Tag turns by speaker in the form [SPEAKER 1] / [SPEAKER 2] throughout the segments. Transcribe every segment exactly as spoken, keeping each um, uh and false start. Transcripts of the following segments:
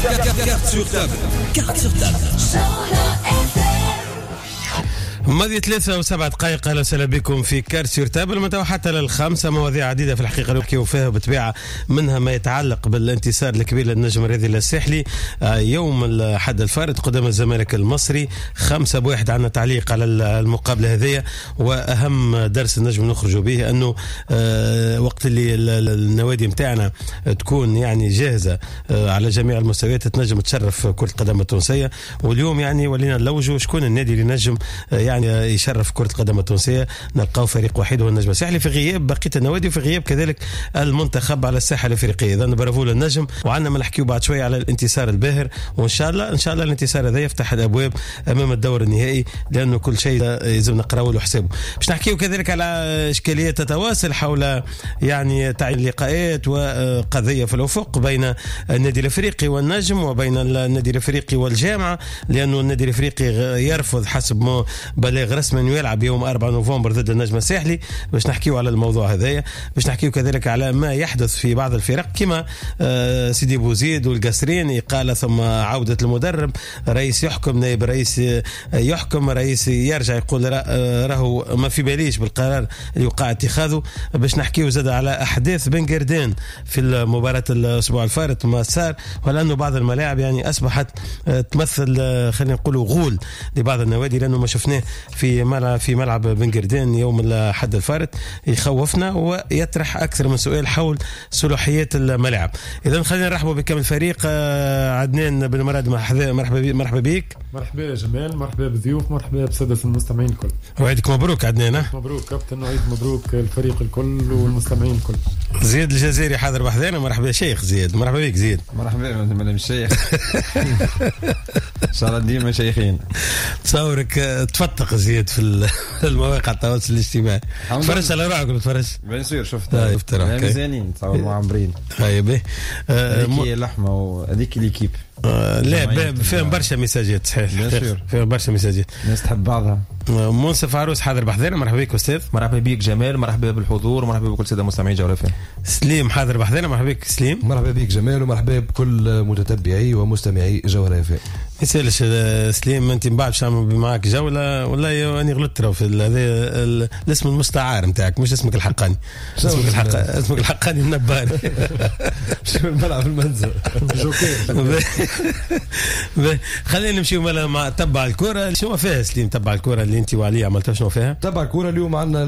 [SPEAKER 1] Carte sur table. Carte sur table.
[SPEAKER 2] ماضي ثلاثة وسبعة دقائق. أهلا وسهلا بكم في Carte sur table من حتى للخمسة. مواضيع عديدة في الحقيقة نحكيو فيها بالطبيعة، منها ما يتعلق بالانتصار الكبير للنجم الرياضي الساحلي يوم الأحد الفارط قدام الزمالك المصري خمسة بواحد. عندنا تعليق على المقابلة هذه، وأهم درس النجم نخرج به أنه وقت اللي النوادي متاعنا تكون يعني جاهزة على جميع المستويات تنجم تشرف كرة القدم التونسية. واليوم يعني ولينا نلوجوا شكون النادي اللي نجم يعني يشرف كرة القدم التونسية. نلقاو فريق وحيد هو النجم الساحلي في غياب بقية النوادي وفي غياب كذلك المنتخب على الساحة الأفريقية. إذا برافو للنجم، وعندنا ما نحكيو بعد شوية على الانتصار الباهر، وإن شاء الله إن شاء الله الانتصار هذا يفتح الأبواب أمام الدور النهائي، لأنه كل شيء لازم نقراو له حسابه. باش نحكيو كذلك على إشكاليات تتواصل حول يعني تعيين اللقاءات وقضية في الأفق بين النادي الأفريقي والنجم وبين النادي الأفريقي والجامعة، لأنه النادي الأفريقي يرفض حسب ما بلاغ رسمي انه يلعب يوم أربعة نوفمبر ضد النجم الساحلي. باش نحكيو على الموضوع هذايا، باش نحكيو كذلك على ما يحدث في بعض الفرق كما سيدي بوزيد والقصرين، إقالة ثم عودة المدرب، رئيس يحكم، نائب رئيس يحكم، رئيس يرجع يقول راهو ما في باليش بالقرار اللي وقع اتخاذه. باش نحكيو زاد على أحداث بن قردان في المباراة الأسبوع الفارط ما صار، ولأنه بعض الملاعب يعني أصبحت تمثل خلينا نقولوا غول لبعض النوادي، لأنه ما شفناه في ملعب في ملعب بن قردان يوم الأحد الفارط يخوفنا ويطرح أكثر من سؤال حول صلاحيات الملاعب. إذا خلينا نرحبوا بكم الفريق. عدنان بن مراد، مرحبا مرحبا بك.
[SPEAKER 3] مرحبا يا جمال، مرحبا بالضيوف، مرحبا بسادة المستمعين الكل.
[SPEAKER 2] وعيدك مبروك عدنان.
[SPEAKER 3] مبروك كابتن، وعيد مبروك الفريق الكل والمستمعين الكل.
[SPEAKER 2] زياد الجزائري حاضر بحذانا، مرحبا شيخ زياد. مرحبا بك زياد.
[SPEAKER 4] مرحبا مدام الشيخ. ان شاء الله ديما شيخين.
[SPEAKER 2] تصورك تفتق زياد في المواقع التواصل الاجتماعي. تفرج على روحك ولا تفرج؟
[SPEAKER 4] bien sûr شفت. شفت روحك مزيانين تصور معمرين.
[SPEAKER 2] طيب
[SPEAKER 4] هذيك لحمه وهذيك l'équipe.
[SPEAKER 2] آه لا فيهم برشا ميساجات، صحيح فيهم برشا ميساجات،
[SPEAKER 4] الناس تحب بعضها.
[SPEAKER 2] منصف عروس حاضر بحذانا، مرحبا بك استاذ.
[SPEAKER 5] مرحبا بك جمال، مرحبا بالحضور، مرحبا بكل ساده مستمعين جوهرة.
[SPEAKER 2] سليم حاضر بحذانا، مرحبا بك سليم.
[SPEAKER 6] مرحبا بك جمال، ومرحبا بكل متتبعي ومستمعي جوهرة. ما
[SPEAKER 2] يسالش سليم، انت من بعد باش نعمل معاك جولة. والله انا غلطت في هذا الاسم المستعار نتاعك، مش اسمك الحقاني. اسمك الحق اسمك الحقاني النبار.
[SPEAKER 6] مش الملعب المنزل.
[SPEAKER 2] خلينا نمشيو مع تبع الكره. شنو فيها سليم تبع الكره اللي انت وعلي عملتها؟ شنو فيها
[SPEAKER 6] تبع الكره؟ اليوم عندنا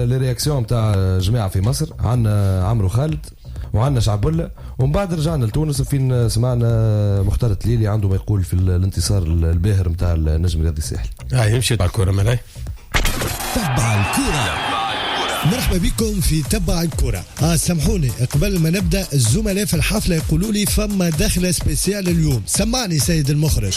[SPEAKER 6] les réactions تاع جماعة في مصر، عندنا عمرو خالد وعندنا شعبولة، ومن بعد رجعنا لتونس فين سمعنا مختار التليلي عنده ما يقول في الانتصار الباهر نتاع النجم الرياضي الساحلي.
[SPEAKER 2] اه يمشي تبع الكره ملاي.
[SPEAKER 7] تبع الكره. مرحبا بكم في تبع الكرة. آه سامحوني قبل ما نبدأ الزملاء في الحفلة يقولوا لي فما دخلة spéciale اليوم. سمعني سيد المخرج.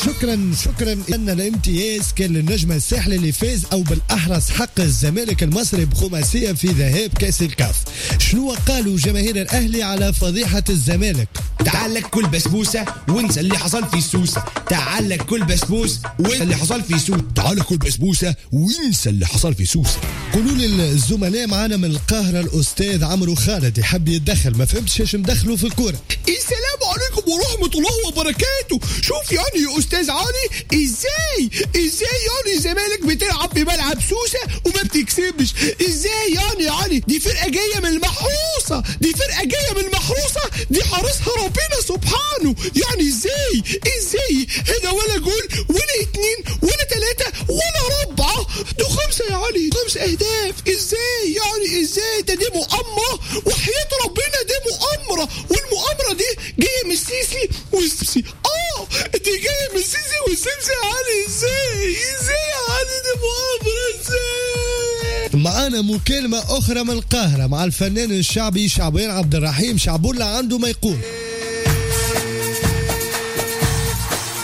[SPEAKER 7] شكرا شكرا. ان الامتياز كان للنجم الساحلي اللي فاز، او بالاحرى حق الزمالك المصري بخماسيه في ذهاب كاس الكاف. شنو قالوا جماهير الاهلي على فضيحة الزمالك؟
[SPEAKER 8] تعال كل بسبوسه وانسى اللي حصل في سوسة، تعال كل بسبوس وانسى اللي حصل في سوسة، تعال كل بسبوسه وانسى اللي حصل في سوسة.
[SPEAKER 7] قولوا لي الزملاء معانا من القاهرة الاستاذ عمرو خالد يحب يتدخل، ما فهمتش ايش مدخله في الكورة.
[SPEAKER 8] السلام عليكم ورحمة الله وبركاته. شوف يعني يا استاذ علي، ازاي ازاي يعني الزمالك بتلعب في ملعب سوسة وما بتكسبش؟ ازاي يعني يا علي؟ دي فرقه جاية من المحروسة، دي فرقه جاية من المحروسة، دي حارسها ربنا سبحانه. يعني ازاي ازاي هنا ولا جول ولا اتنين ولا تلاتة ولا ربعه، دول خمسة يا علي، خمس اهداف. ازاي يعني ازاي؟ ده دي مؤامرة وحياه ربنا، دي مؤامرة، والمؤامره دي جاية من السيسي والسيسي. اه دي جاية من السيسي والسيسي يا علي. ازاي ازاي يا علي؟ دي مؤامرة ازاي؟
[SPEAKER 7] معانا مكالمة اخرى من القاهرة مع الفنان الشعبي شعبان عبد الرحيم. شعبولة عنده ما يقول.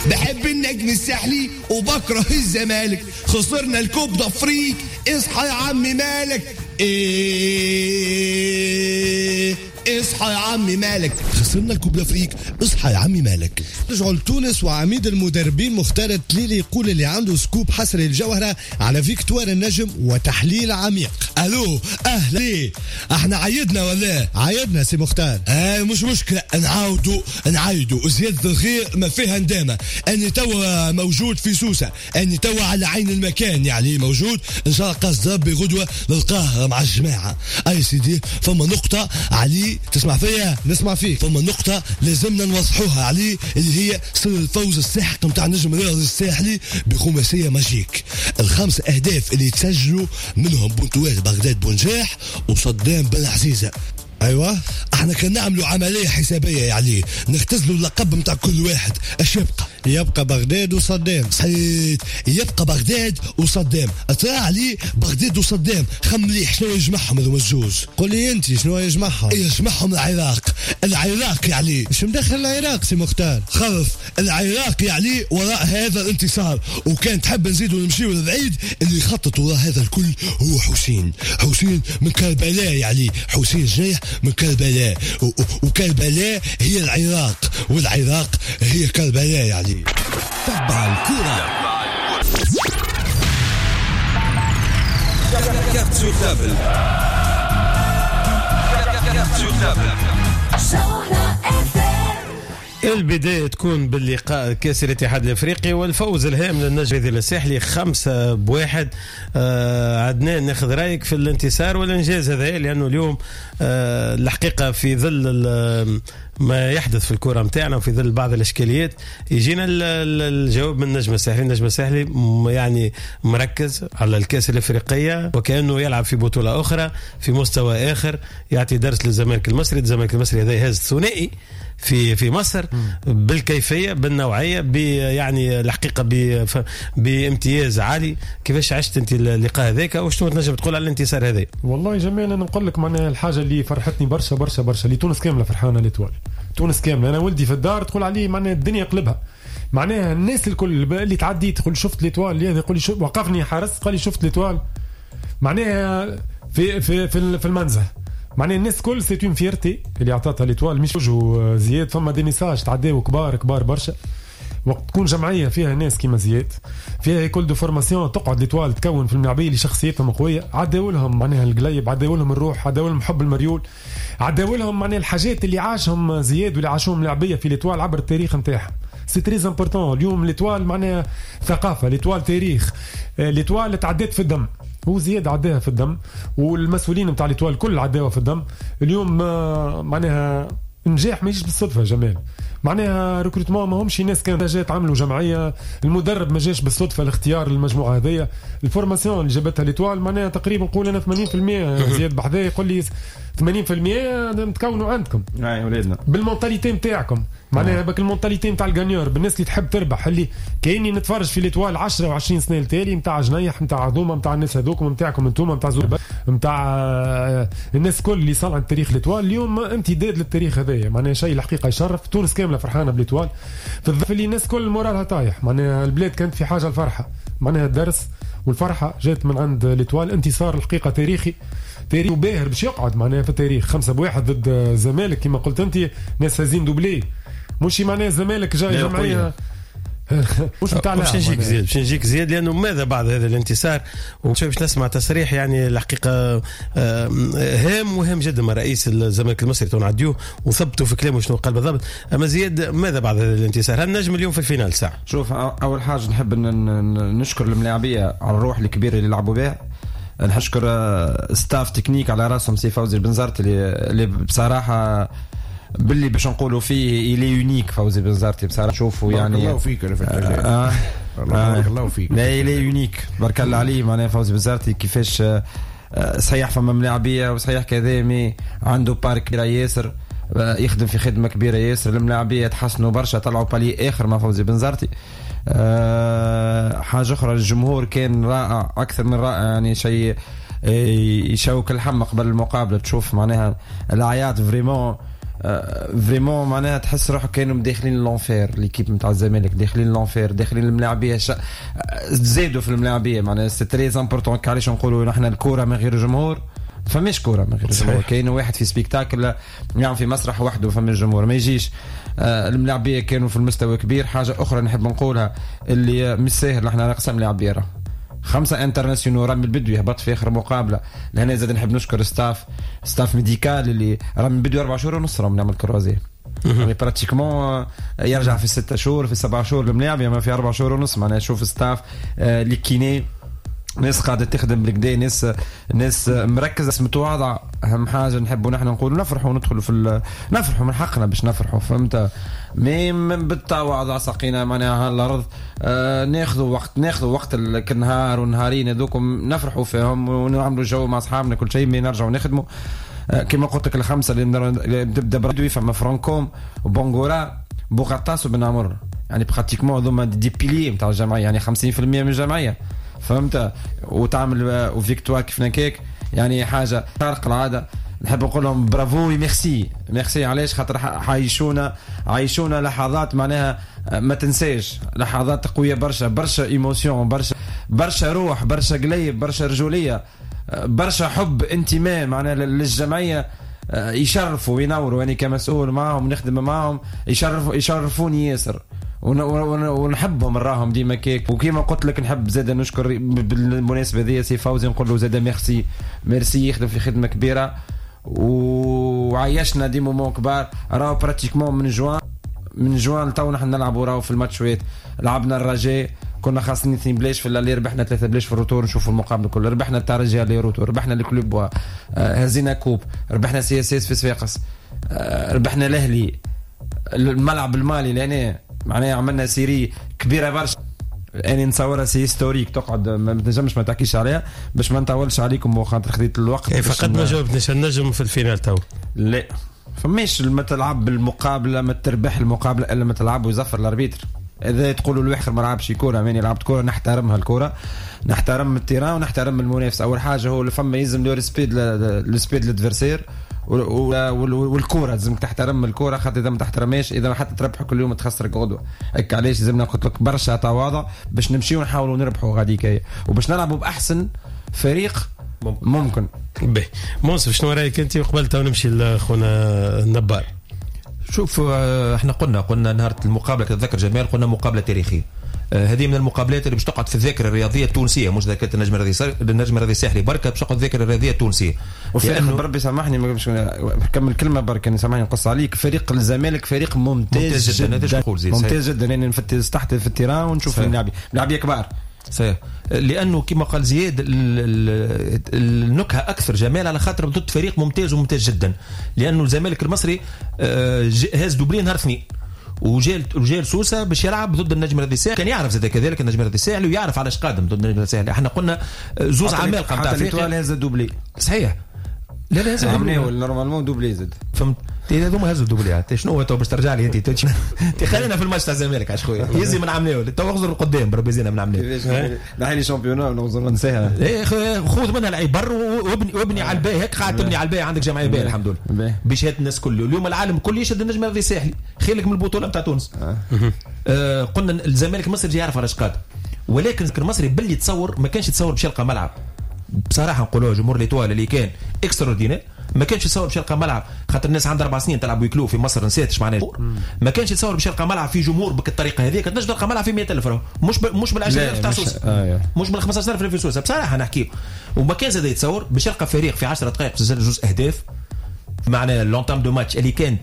[SPEAKER 8] بحب النجم الساحلي وبكره الزمالك، خسرنا ال Coupe d'Afrique، اصحى يا عم مالك، ايه اصحى اصحى يا عمي مالك،
[SPEAKER 7] خسرنا ال Coupe d'Afrique، اصحى يا عمي مالك. رجعوا لتونس وعميد المدربين مختار التليلي يقول اللي عنده scoop حصري الجوهرة على victoire النجم وتحليل عميق.
[SPEAKER 9] الو اهلا، احنا عيدنا ولا؟
[SPEAKER 7] عيدنا سي مختار.
[SPEAKER 9] اه مش مشكلة، نعاودوا نعايدوا، زيادة الخير ما فيها ندامه. اني توا موجود في سوسة، اني توا على عين المكان يعني موجود، ان شاء الله قصد ربي غدوه نلقاه مع الجماعة. اي سيدي فما نقطة علي تسمع فيا؟
[SPEAKER 7] نسمع فيك.
[SPEAKER 9] فما نقطة لازمنا نوضحوها علي اللي هي سر الفوز الساحق نتاع النجم الرياضي الساحلي بخماسيه magique. الخمس اهداف اللي تسجلوا منهم بونتوات بغداد بونجاح وصدام بن عزيزه. ايوه احنا كان نعملوا عملية حسابيه يعني نختزلوا اللقب نتاع كل واحد، اش يبقى؟
[SPEAKER 7] يبقى بغداد وصدام.
[SPEAKER 9] صحيح، يبقى بغداد وصدام. ترى علي بغداد وصدام خم مليح شنو يجمعهم هذوما الزوز؟
[SPEAKER 7] قول لي انت شنو يجمعهم؟
[SPEAKER 9] يجمعهم العراق. العراق يعني
[SPEAKER 7] شو مدخل العراق سي مختار؟
[SPEAKER 9] خلف العراق يعني وراء هذا الانتصار. وكان تحب نزيدوا نمشيو للبعيد، اللي يخطط وراء هذا الكل هو حسين. حسين من كربلاء يعني، حسين جنيح من كربلاء، وكربلاء هي العراق، والعراق هي كربلاء يعني.
[SPEAKER 1] تبع الكرة. Carte sur table. Carte sur table.
[SPEAKER 2] البداية تكون باللقاء كأس الاتحاد الافريقي والفوز الهام للنجم الساحلي خمسة بواحد. آه عدنان، ناخذ رايك في الانتصار والانجاز هذا، لانه اليوم آه الحقيقة في ظل ما يحدث في الكرة متاعنا وفي ظل بعض الاشكاليات يجينا الجواب من النجم الساحلي. النجم الساحلي يعني مركز على الكأس الافريقية وكأنه يلعب في بطولة اخرى في مستوى اخر، يعطي درس للزمالك المصري. الزمالك المصري هذا يهز ثنائي في في مصر بالكيفية بالنوعيه يعني الحقيقة بامتياز عالي. كيفاش عشت انت اللقاء هذاك وشنو تنجم تقول على الانتصار هذا؟
[SPEAKER 3] والله جمال انا نقول لك معناها الحاجة اللي فرحتني برشا برشا برشا اللي تونس كاملة فرحانة l'Étoile، تونس كاملة. انا ولدي في الدار تقول عليه معناها الدنيا قلبها، معناها الناس الكل اللي تعدي تقول شفت l'Étoile، اللي يقول لي وقفني حارس قال لي شفت l'Étoile، معناها في في في المنزه، معناها الناس الكل c'est une fierté اللي عطاتها l'Étoile. مش وجهه زياد، فما des messages تعداو كبار كبار برشا. وقت تكون جمعية فيها ناس كيما زياد، فيها école de formation، تقعد l'Étoile تكون في الملاعبيه اللي شخصيتهم قوية، عداو لهم معناها القليب، عداو لهم الروح، عداو لهم حب المريول، عداو لهم معناها الحاجات اللي عاشهم زياد واللي عاشوهم الملاعبيه في l'Étoile عبر التاريخ نتاعهم. c'est très important. اليوم l'Étoile معناها ثقافة، l'Étoile تاريخ، l'Étoile تعدات في الدم، هو زياد عداها في الدم والمسؤولين نتاع l'Étoile الكل عداوها في الدم. اليوم معناها نجاح ما يجيش بالصدفة جمال، معناها recrutement ما همش ناس كان جات عملوا جمعية، المدرب ما جاش بالصدفة الاختيار للمجموعة هذيا، ال formation اللي جابتها l'Étoile معناها تقريبا نقول انا ثمانين بالمية زياد بحذايا يقول لي ثمانين بالمية متكونوا عندكم
[SPEAKER 4] اي ولادنا
[SPEAKER 3] بال mentalité نتاعكم، معناها بك ال mentalité نتاع ال gagneur، بالناس اللي تحب تربح، اللي كايني نتفرج في l'Étoile عشرة وعشرين سنة التالي نتاع جنيح نتاع عظومه نتاع الناس هذوكم نتاعكم انتوما نتاع زوبا نتاع الناس كل اللي صنعت تاريخ l'Étoile. اليوم امتداد للتاريخ هذايا، معناها شيء الحقيقة يشرف. تونس كاملة فرحانة ب l'Étoile في الظرف اللي الناس كل moral ها طايح، معناها البلاد كانت في حاجة الفرحة، معناها الدرس والفرحه جات من عند l'Étoile. انتصار الحقيقة تاريخي تاريخ وباهر باش يقعد معناها في التاريخ، خمسة بواحد ضد الزمالك كما قلت انت، ناس هازين doublé، مش معناها الزمالك جاي جمعية مش نتاع
[SPEAKER 2] باش نجيك زياد، باش نجيك زياد لانه ماذا بعد هذا الانتصار؟ وباش نسمع تصريح يعني الحقيقة هام وهام جدا من رئيس الزمالك المصري تونعديو وثبتوا في كلامه شنو قال بالضبط. اما زياد ماذا بعد هذا الانتصار؟ هل نجم اليوم في ال finale ساعة؟
[SPEAKER 4] شوف، اول حاجة نحب نشكر الملاعبيه على الروح الكبيرة اللي لعبوا بها، نشكر staff technique على راسهم سي فوزي البنزرتي اللي بصراحة باللي باش نقولوا فيه il est unique فوزي بنزرتي بصراحة. شوفوا يعني
[SPEAKER 10] بارك الله فيك آه بارك الله فيك،
[SPEAKER 4] لا il est unique بارك الله عليه. معناها فوزي بنزرتي كيفاش صحيح فما ملاعبيه وصحيح كذا، mais عنده part كبيرة ياسر، يخدم في خدمة كبيرة ياسر، الملاعبيه تحسنوا برشا، طلعوا palier اخر مع فوزي بنزرتي. أه حاجة اخرى، الجمهور كان رائع اكثر من رائع، يعني شيء يشوك الحم قبل المقابلة، تشوف معناها العياط vraiment vraiment معناها تحس روحك كانوا داخلين l'enfer، l'équipe نتاع الزمالك داخلين l'enfer، داخلين الملاعبيه ش... زادوا في الملاعبيه، معناها c'est très important. علاش نقولوا نحن الكورة من غير جمهور فماش كورة من غير الجمهور. كاين واحد في spectacle يعني في مسرح وحده فما الجمهور ما يجيش. آه الملاعبيه كانوا في المستوى كبير. حاجة اخرى نحب نقولها اللي مش ساهل، احنا ناقصنا ملاعبيه خمسة internationaux، رامي البدوي هبط في اخر مقابله. لهنا زاد نحب نشكر staff staff médical اللي رامي البدوي اربع شهور ونص راهم نعمل croisés، يعني pratiquement يرجع في ستة شهور في سبعة شهور الملاعب، ما في اربع شهور ونص. معناها شوف staff les kinés، ناس قاعدة تخدم بالكدا، ناس ناس مركزه متواضعة. اهم حاجة نحبوا نحن نقولوا نفرحوا وندخلوا في نفرحوا من حقنا باش نفرحوا، فهمت؟ mais بالتواضع سقينا معناها الارض. آه ناخذوا وقت، ناخذوا وقت النهار والنهارين هذوكم نفرحوا فيهم ونعملوا جو مع اصحابنا كل شيء، mais نرجعوا نخدموا. آه كما قلت لك الخمسة اللي تبدا برادوي، فما فرانكوم وبونغورا بوغطاس وبن عمر، يعني pratiquement هذوما des piliers نتاع الجمعية، يعني خمسين بالمية من الجمعية، فهمت؟ وتعمل و victoire كيف نكاك، يعني حاجة خارق العادة. نحب نقول لهم bravo merci merci. علاش؟ خاطر عايشونا عايشونا لحظات معناها ما تنساش، لحظات قوية برشا برشا، émotion برشا برشا، روح برشا، قليب برشا، رجوليه برشا، حب انتماء معناها للجمعية. يشرفوا وينوروا، يعني كمسؤول معهم نخدم معهم يشرفوا يشرفوني ياسر ونحبهم نراهم ديما كيك. وكيما قلت لك نحب زاد نشكر بالمناسبة ذي سي فوزي، نقول له زاد merci merci، يخدم في خدمة كبيرة وعيشنا des moments كبار. راهو pratiquement من جوان من جوان لتو نحن نلعبوا راهو في الماتشوات. لعبنا الرجاء كنا خاصين اثنين بلاش في l'aller، ربحنا ثلاثة بلاش في ال retour، نشوفوا المقابلة كلها. ربحنا الترجي aller-retour، ربحنا ال Club، هزينا coupe، ربحنا CSS في صفاقس، ربحنا الاهلي الملعب المالي لهنا، معناها عملنا série كبيرة برشا. اني نصورها c'est historique، تقعد ما تنجمش ما تحكيش عليها باش ما نطولش عليكم وخاطر خديت الوقت.
[SPEAKER 2] إيه فقط ما جاوبتنيش النجم في ال finale تو.
[SPEAKER 4] لا فماش ما تلعب بالمقابلة، ما تربح المقابلة الا ما تلعب ويزفر ال arbitre. اذا تقولوا الواحد ما لعبش كورة، ماني لعبت كورة، نحترمها الكورة، نحترم ال terrain ونحترم المنافس. اول حاجة هو اللي فما يلزم le respect le respect l'adversaire والكوره، لازمك تحترم الكورة، خاطر اذا ما تحترمهاش اذا حتى تربح كل يوم تخسرك غدوه. هكا علاش لازمنا قلت لك برشا تواضع باش نمشيو ونحاولوا نربحوا غاديك وباش نلعبوا باحسن فريق ممكن, ممكن.
[SPEAKER 2] باهي منصف شنو رايك انت قبل تو نمشي لخونا النبار؟
[SPEAKER 5] شوف احنا قلنا قلنا نهار المقابلة تتذكر جمال، قلنا مقابله تاريخية. هذه من المقابلات اللي باش تقعد في الذاكرة الرياضية التونسية، مش ذاكره النجم الرياضي النجم الرياضي الساحلي بركة، باش تقعد الذاكرة الرياضية التونسية.
[SPEAKER 4] وفريق بربي سامحني ما باش نكمل كلمة برك، يعني سامحني نقص عليك. فريق الزمالك فريق ممتاز, ممتاز جدا, جدا. ممتاز جدا، يعني نفتش تحت في ال terrain ونشوف اللاعبين لاعبيه كبار.
[SPEAKER 5] صحيح، لانه كما قال زياد النكهة اكثر جمال على خاطر ضد فريق ممتاز وممتاز جدا، لانه الزمالك المصري هاز doublé نهار اثنين وجال وجال سوسة باش يلعب ضد النجم الرياضي الساحلي، كان يعرف زاد كذلك النجم الرياضي الساحلي ويعرف علاش قادم ضد النجم الرياضي الساحلي. احنا قلنا زوز عمالقة نتاع افريقيا
[SPEAKER 4] هز doublé.
[SPEAKER 5] صحيح، لا لا هز
[SPEAKER 4] doublé normalement doublé زاد،
[SPEAKER 5] فهمت؟ هذوما هزوا doublé. شنو هو تو باش ترجع لي انت؟ خلينا في الماتش تاع الزمالك عاش خويا، يزي من عمناول تو اغزر القدام بربي زينا من عمناول
[SPEAKER 4] نحي لي championnat نغزر ننساها.
[SPEAKER 5] ايه خذ منها العبر وابني وابني على الباهي، هيك قاعد تبني على الباهي، عندك جمعية باهيه الحمد لله بشهادة الناس كله. اليوم العالم كله يشهد النجم الرياضي الساحلي خيرك من البطولة نتاع تونس. آه قلنا الزمالك المصري يعرف علاش قادم، ولكن المصري باللي تصور ما كانش يتصور باش يلقى ملعب. بصراحة نقولوها جمهور l'Étoile اللي كان extraordinaire ما كانش يتصور باش يلقى ملعب، خاطر الناس عندها اربع سنين تلعب huis clos في مصر نسيت اش معناه. ما كانش يتصور باش يلقى ملعب في جمهور بالطريقة هذيك، تنجم تلقى ملعب في مئة ألف راهو، مش ب... مش بال عشرة آلاف تاع سوسة، آه مش بال خمسة عشر ألف في سوسة بصراحة نحكي. وما كان زاد يتصور باش يلقى فريق في عشرة دقائق سجل جوج اهداف، معناها l'entame de match اللي كان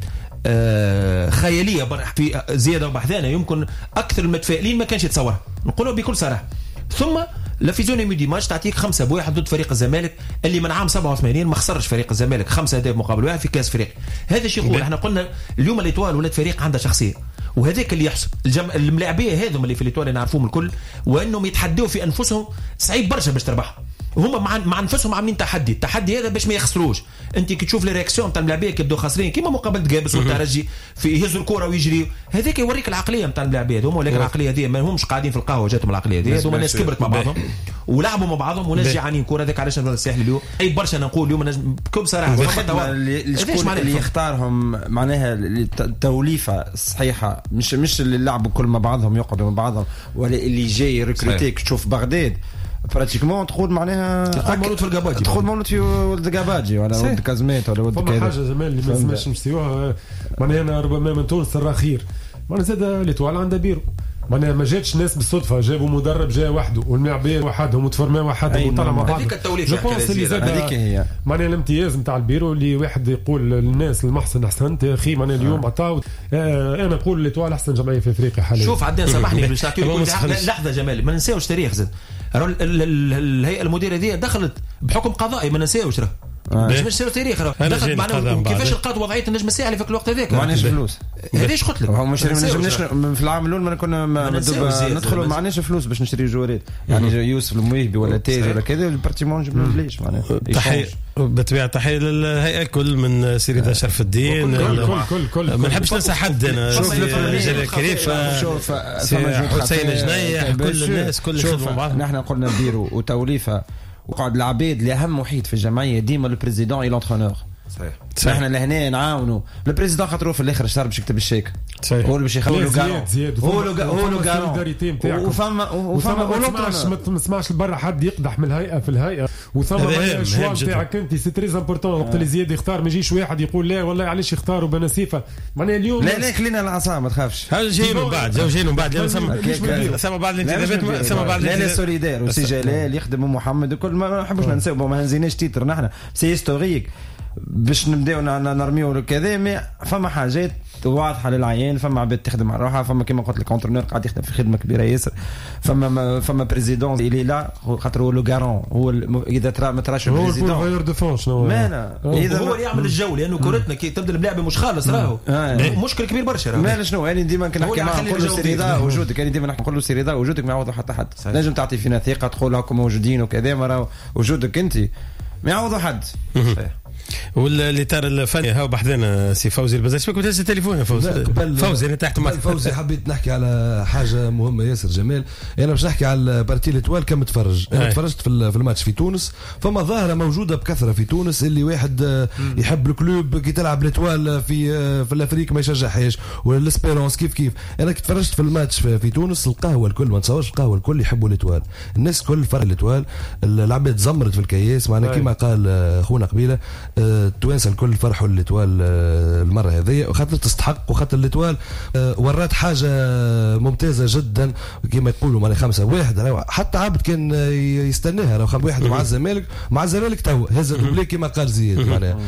[SPEAKER 5] آه خيالية في زيادة وبحذانه، يمكن اكثر المتفائلين ما كانش يتصورها، نقولوا بكل صراحة. ثم la physionomie du match تعطيك خمسة بواحد ضد فريق الزمالك اللي من عام سبعة وثمانين ما خسرش فريق الزمالك خمسة أهداف مقابل واحد في كاس افريقيا. هذا الشيء يقول احنا قلنا اليوم l'Étoile ولات فريق عنده شخصية، وهذاك اللي يحسب الجم... الملاعبيه هذم اللي في l'Étoile نعرفوهم الكل، وانهم يتحدوا في انفسهم صعيب برشا باش تربحهم. هما مع مع انفسهم عاملين تحدي، التحدي هذا باش ما يخسروش. انت كي تشوف les réactions تاع الملاعبيه كي يبداو خاسرين كيما مقابله قابس والترجي في يهزوا الكره ويجري، هذاك يوريك العقلية نتاع الملاعبيه هذوما. ولكن العقلية هذه ما همش قاعدين في القهوة جاتهم العقلية هذه، هذوما ناس كبرت مع بعضهم ولعبوا مع بعضهم وناس جيعانين كره. هذاك علاش الساحل اليوم اي برشا نقول اليوم بكل صراحة
[SPEAKER 4] اللي, اللي يختارهم معناها التوليفه الصحيحة، مش مش اللي لعبوا كل مع بعضهم يقعدوا مع بعضهم، ولا اللي جاي recruter. تشوف بغداد pratiquement تقول معناها
[SPEAKER 5] تقول مولود في القباجي،
[SPEAKER 4] تقول مولود في ولد قباجي ولا ولد كازميت ولا ولد
[SPEAKER 3] كذا. فما حاجة جمال اللي ما لازمش نسيوها، معناها انا ربما من تونس راه خير، معناها زاد l'Étoile عندها بيرو، معناها ما جاتش ناس بالصدفة، جابوا مدرب جا وحده والملاعبيه وحدهم وتفرما وحدهم وطلع مع بعض.
[SPEAKER 5] هذيك التوليفه
[SPEAKER 3] je pense اللي زاد
[SPEAKER 4] هذيك هي
[SPEAKER 3] معناها الامتياز نتاع البيرو اللي واحد يقول للناس المحسن احسنت يا اخي. معناها اليوم عطاو آه انا نقول l'Étoile احسن جمعية في افريقيا حاليا.
[SPEAKER 5] شوف عدنان سامحني باش نعطيك لحظة جمال، ما ننساوش تاريخ زاد الهيئة المديرة دي دخلت بحكم قضائي، ما ننساوش راه باش مش تاريخ راه دخلت معناها كيفاش لقات وضعية النجم الساحلي في الوقت هذاك،
[SPEAKER 4] ما عندناش فلوس.
[SPEAKER 5] هذاش قلت لك
[SPEAKER 4] هو مش نجمناش في العام الاول ما كنا ندخلوا ما عندناش فلوس باش نشري جوارات، يعني يوسف المويهبي ولا تاج ولا كذا ال pratiquement جبنا بلاش معناها.
[SPEAKER 2] تحية بالطبيعة تحية للهيئة الكل من سي رضا شرف الدين،
[SPEAKER 3] كل كل كل كل
[SPEAKER 2] ما نحبش ننسى حد انا، جلال كريفة، حسين جنيح، كل الناس كل خدموا مع بعض.
[SPEAKER 4] نحن قلنا بيرو وتوليفه وقعد العبيد اللي اهم وحيد في الجمعية ديما ال président et l'entraîneur.
[SPEAKER 10] صحيح
[SPEAKER 4] احنا لهنا نعاونوا ال président خاطر في الاخر الشهر باش يكتب الشيك، هو اللي باش يخلوا
[SPEAKER 3] garant،
[SPEAKER 4] هو هو garant، وفما وفما
[SPEAKER 3] ما تسمعش لبرا حد يقدح من الهيئة في الهيئة، وثم ال choix نتاعك انت c'est très important. وقت اللي زياد يختار ما يجيش واحد يقول لا والله علاش يختاروا بنسيفه، معناها اليوم
[SPEAKER 4] لا لا خلينا العصا ما تخافش.
[SPEAKER 2] هذا جايين من بعد، جايين من بعد ثم بعض الانتدابات، ثم بعض
[SPEAKER 4] لا لا solidaire وسي جلال يخدم محمد وكل ما نحبوش ننساو، ما هنزيناش titre نحن c'est historique باش نبداو نرميو كذا، mais فما حاجات واضحة للعيان، فما عباد تخدم على روحها، فما كيما قلت لك entraîneur قاعد يخدم في خدمة كبيرة ياسر، فما فما président اللي لا خاطر هو le garant، هو اذا ترى ما تراش ال président
[SPEAKER 3] هو ال bailleur de fonds شنو
[SPEAKER 4] مانا
[SPEAKER 5] اذا هو اللي يعمل الجو، لانه كورتنا كي تبدا الملاعب مش خالص راهو مشكل كبير برشا راهو.
[SPEAKER 4] مالا شنو انا ديما كنحكي معاه نقول له سي رضا وجودك، انا ديما نقول له سي رضا وجودك ما يعوض حتى حد، نجم تعطي فينا ثقة تقول هاكم موجودين وكذا، ما راهو وجودك انت ما يعوض حد.
[SPEAKER 2] صحيح. والاطار الفني هاو بحذانا سي فوزي البزاز، شبيك تهز التليفون يا فوزي؟ فوزي انا تحت
[SPEAKER 6] معك. فوزي حبيت نحكي على حاجة مهمة ياسر جمال، انا باش نحكي على partie l'Étoile كمتفرج. انا تفرجت في في الماتش في تونس، فما ظاهره موجودة بكثرة في تونس اللي واحد يحب ال club كي تلعب l'Étoile في في l'Afrique ما يشجعهاش، ولا l'Espérance كيف كيف. انا كي تفرجت في الماتش في, في تونس القهوة الكل، ما نتصورش القهوة الكل يحبوا l'Étoile، الناس الكل فرق l'Étoile، العباد زمرت في الكياس معناها كيما قال خونا قبيلة التوانسة الكل فرحوا l'Étoile المرة هذه، وخاطر تستحق، وخاطر l'Étoile ورات حاجة ممتازة جدا كما يقولوا معناها خمسة واحد، حتى عبد كان يستناها راهو خمسة واحد مع الزمالك، مع الزمالك تو هز doublé كما قال زياد معناها.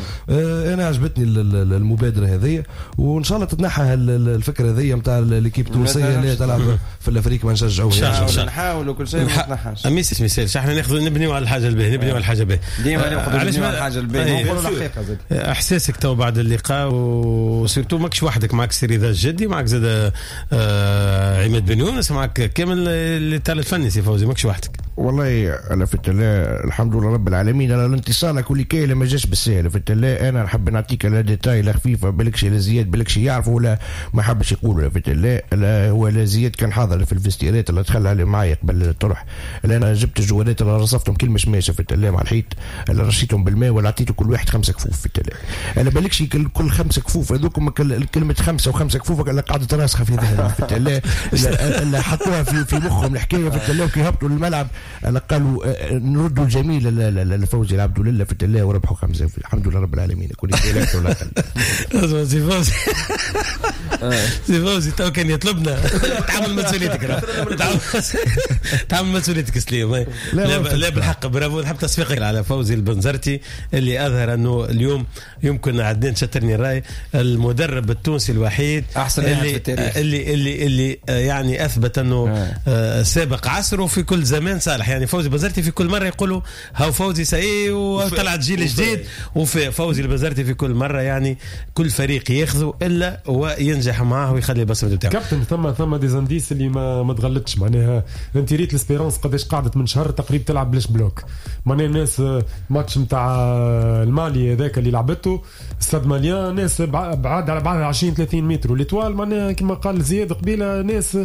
[SPEAKER 6] انا عجبتني المبادرة هذه، وان شاء الله تتنحى الفكرة هذه نتاع l'équipe التونسية اللي تلعب في l'Afrique ما نشجعوهاش،
[SPEAKER 4] نحاولوا كل شيء ما تنحاش.
[SPEAKER 2] ميسي ميسي احنا ناخذ نبنيو على الحاجة الباهيه، نبنيو على الحاجة الباهيه
[SPEAKER 4] ديما، ناخذ على الحاجة الباهيه.
[SPEAKER 2] احساسك تو بعد اللقاء، و surtout ماكش وحدك، معك سي رضا الجدي، معك زاد آه عماد بن يونس، معك كامل الاطار الفني سي فوزي، ماكش وحدك.
[SPEAKER 10] والله انا في الله الحمد لله رب العالمين على الانتصار كل كي ما جاش بالسهل. في الله انا نحب نعطيك لا détail لا خفيفة، بالكش لا زياد بالكش يعرفوا ولا ما حبش يقولوا. في الله لا هو لا زياد كان حاضر في ال vestiaire ات اللي دخل عليه معايا قبل الطرح، اللي انا جبت الجوالات اللي رصفتهم كل مشماشه في الله مع الحيط، اللي رشيتهم بالماء ولا عطيته كل واحد خمسة كفوف في التلاجة. انا بالكش كل خمسة كفوف هذوك كلمة خمسة وخمسة كفوف اللي قعدت راسخة في ذهنهم في التلاجة، اللي حطوها في في مخهم الحكاية في التلاجة. كي هبطوا للملعب قالوا نردوا الجميل لفوزي العبد لله في التلاجة وربحوا خمسة، الحمد لله رب العالمين. كل شيء ولا
[SPEAKER 2] اقل. سي فوزي سي فوزي تو كان يطلبنا تعمل مسؤوليتك، تعمل مسؤوليتك سليم. لا بالحق برافو، نحب تصفيقك على فوزي البنزرتي اللي اظهر انه اليوم يمكن عدنان شترني الراي المدرب التونسي الوحيد
[SPEAKER 4] احسن
[SPEAKER 2] اللي
[SPEAKER 4] في التاريخ
[SPEAKER 2] اللي اللي اللي يعني اثبت انه آه. سابق عصره في كل زمان صالح. يعني فوزي البنزرتي في كل مرة يقولوا هاو فوزي ساي وطلعت جيل جديد، وفي فوزي البنزرتي في كل مرة يعني كل فريق ياخذه الا وينجح معاه ويخلي البصمة بتاعه.
[SPEAKER 3] كابتن ثم ثم des indices اللي ما ما تغلطش، معناها انت ريت l'Espérance قداش قعدت من شهر تقريبا تلعب بلاش bloc، معناها الناس ماتش نتاع المالي هذاك اللي لعبته Stade Malien ناس بعاد على بعض عشرين ثلاثين متر، l'Étoile معناها كما قال زياد قبيلة ناس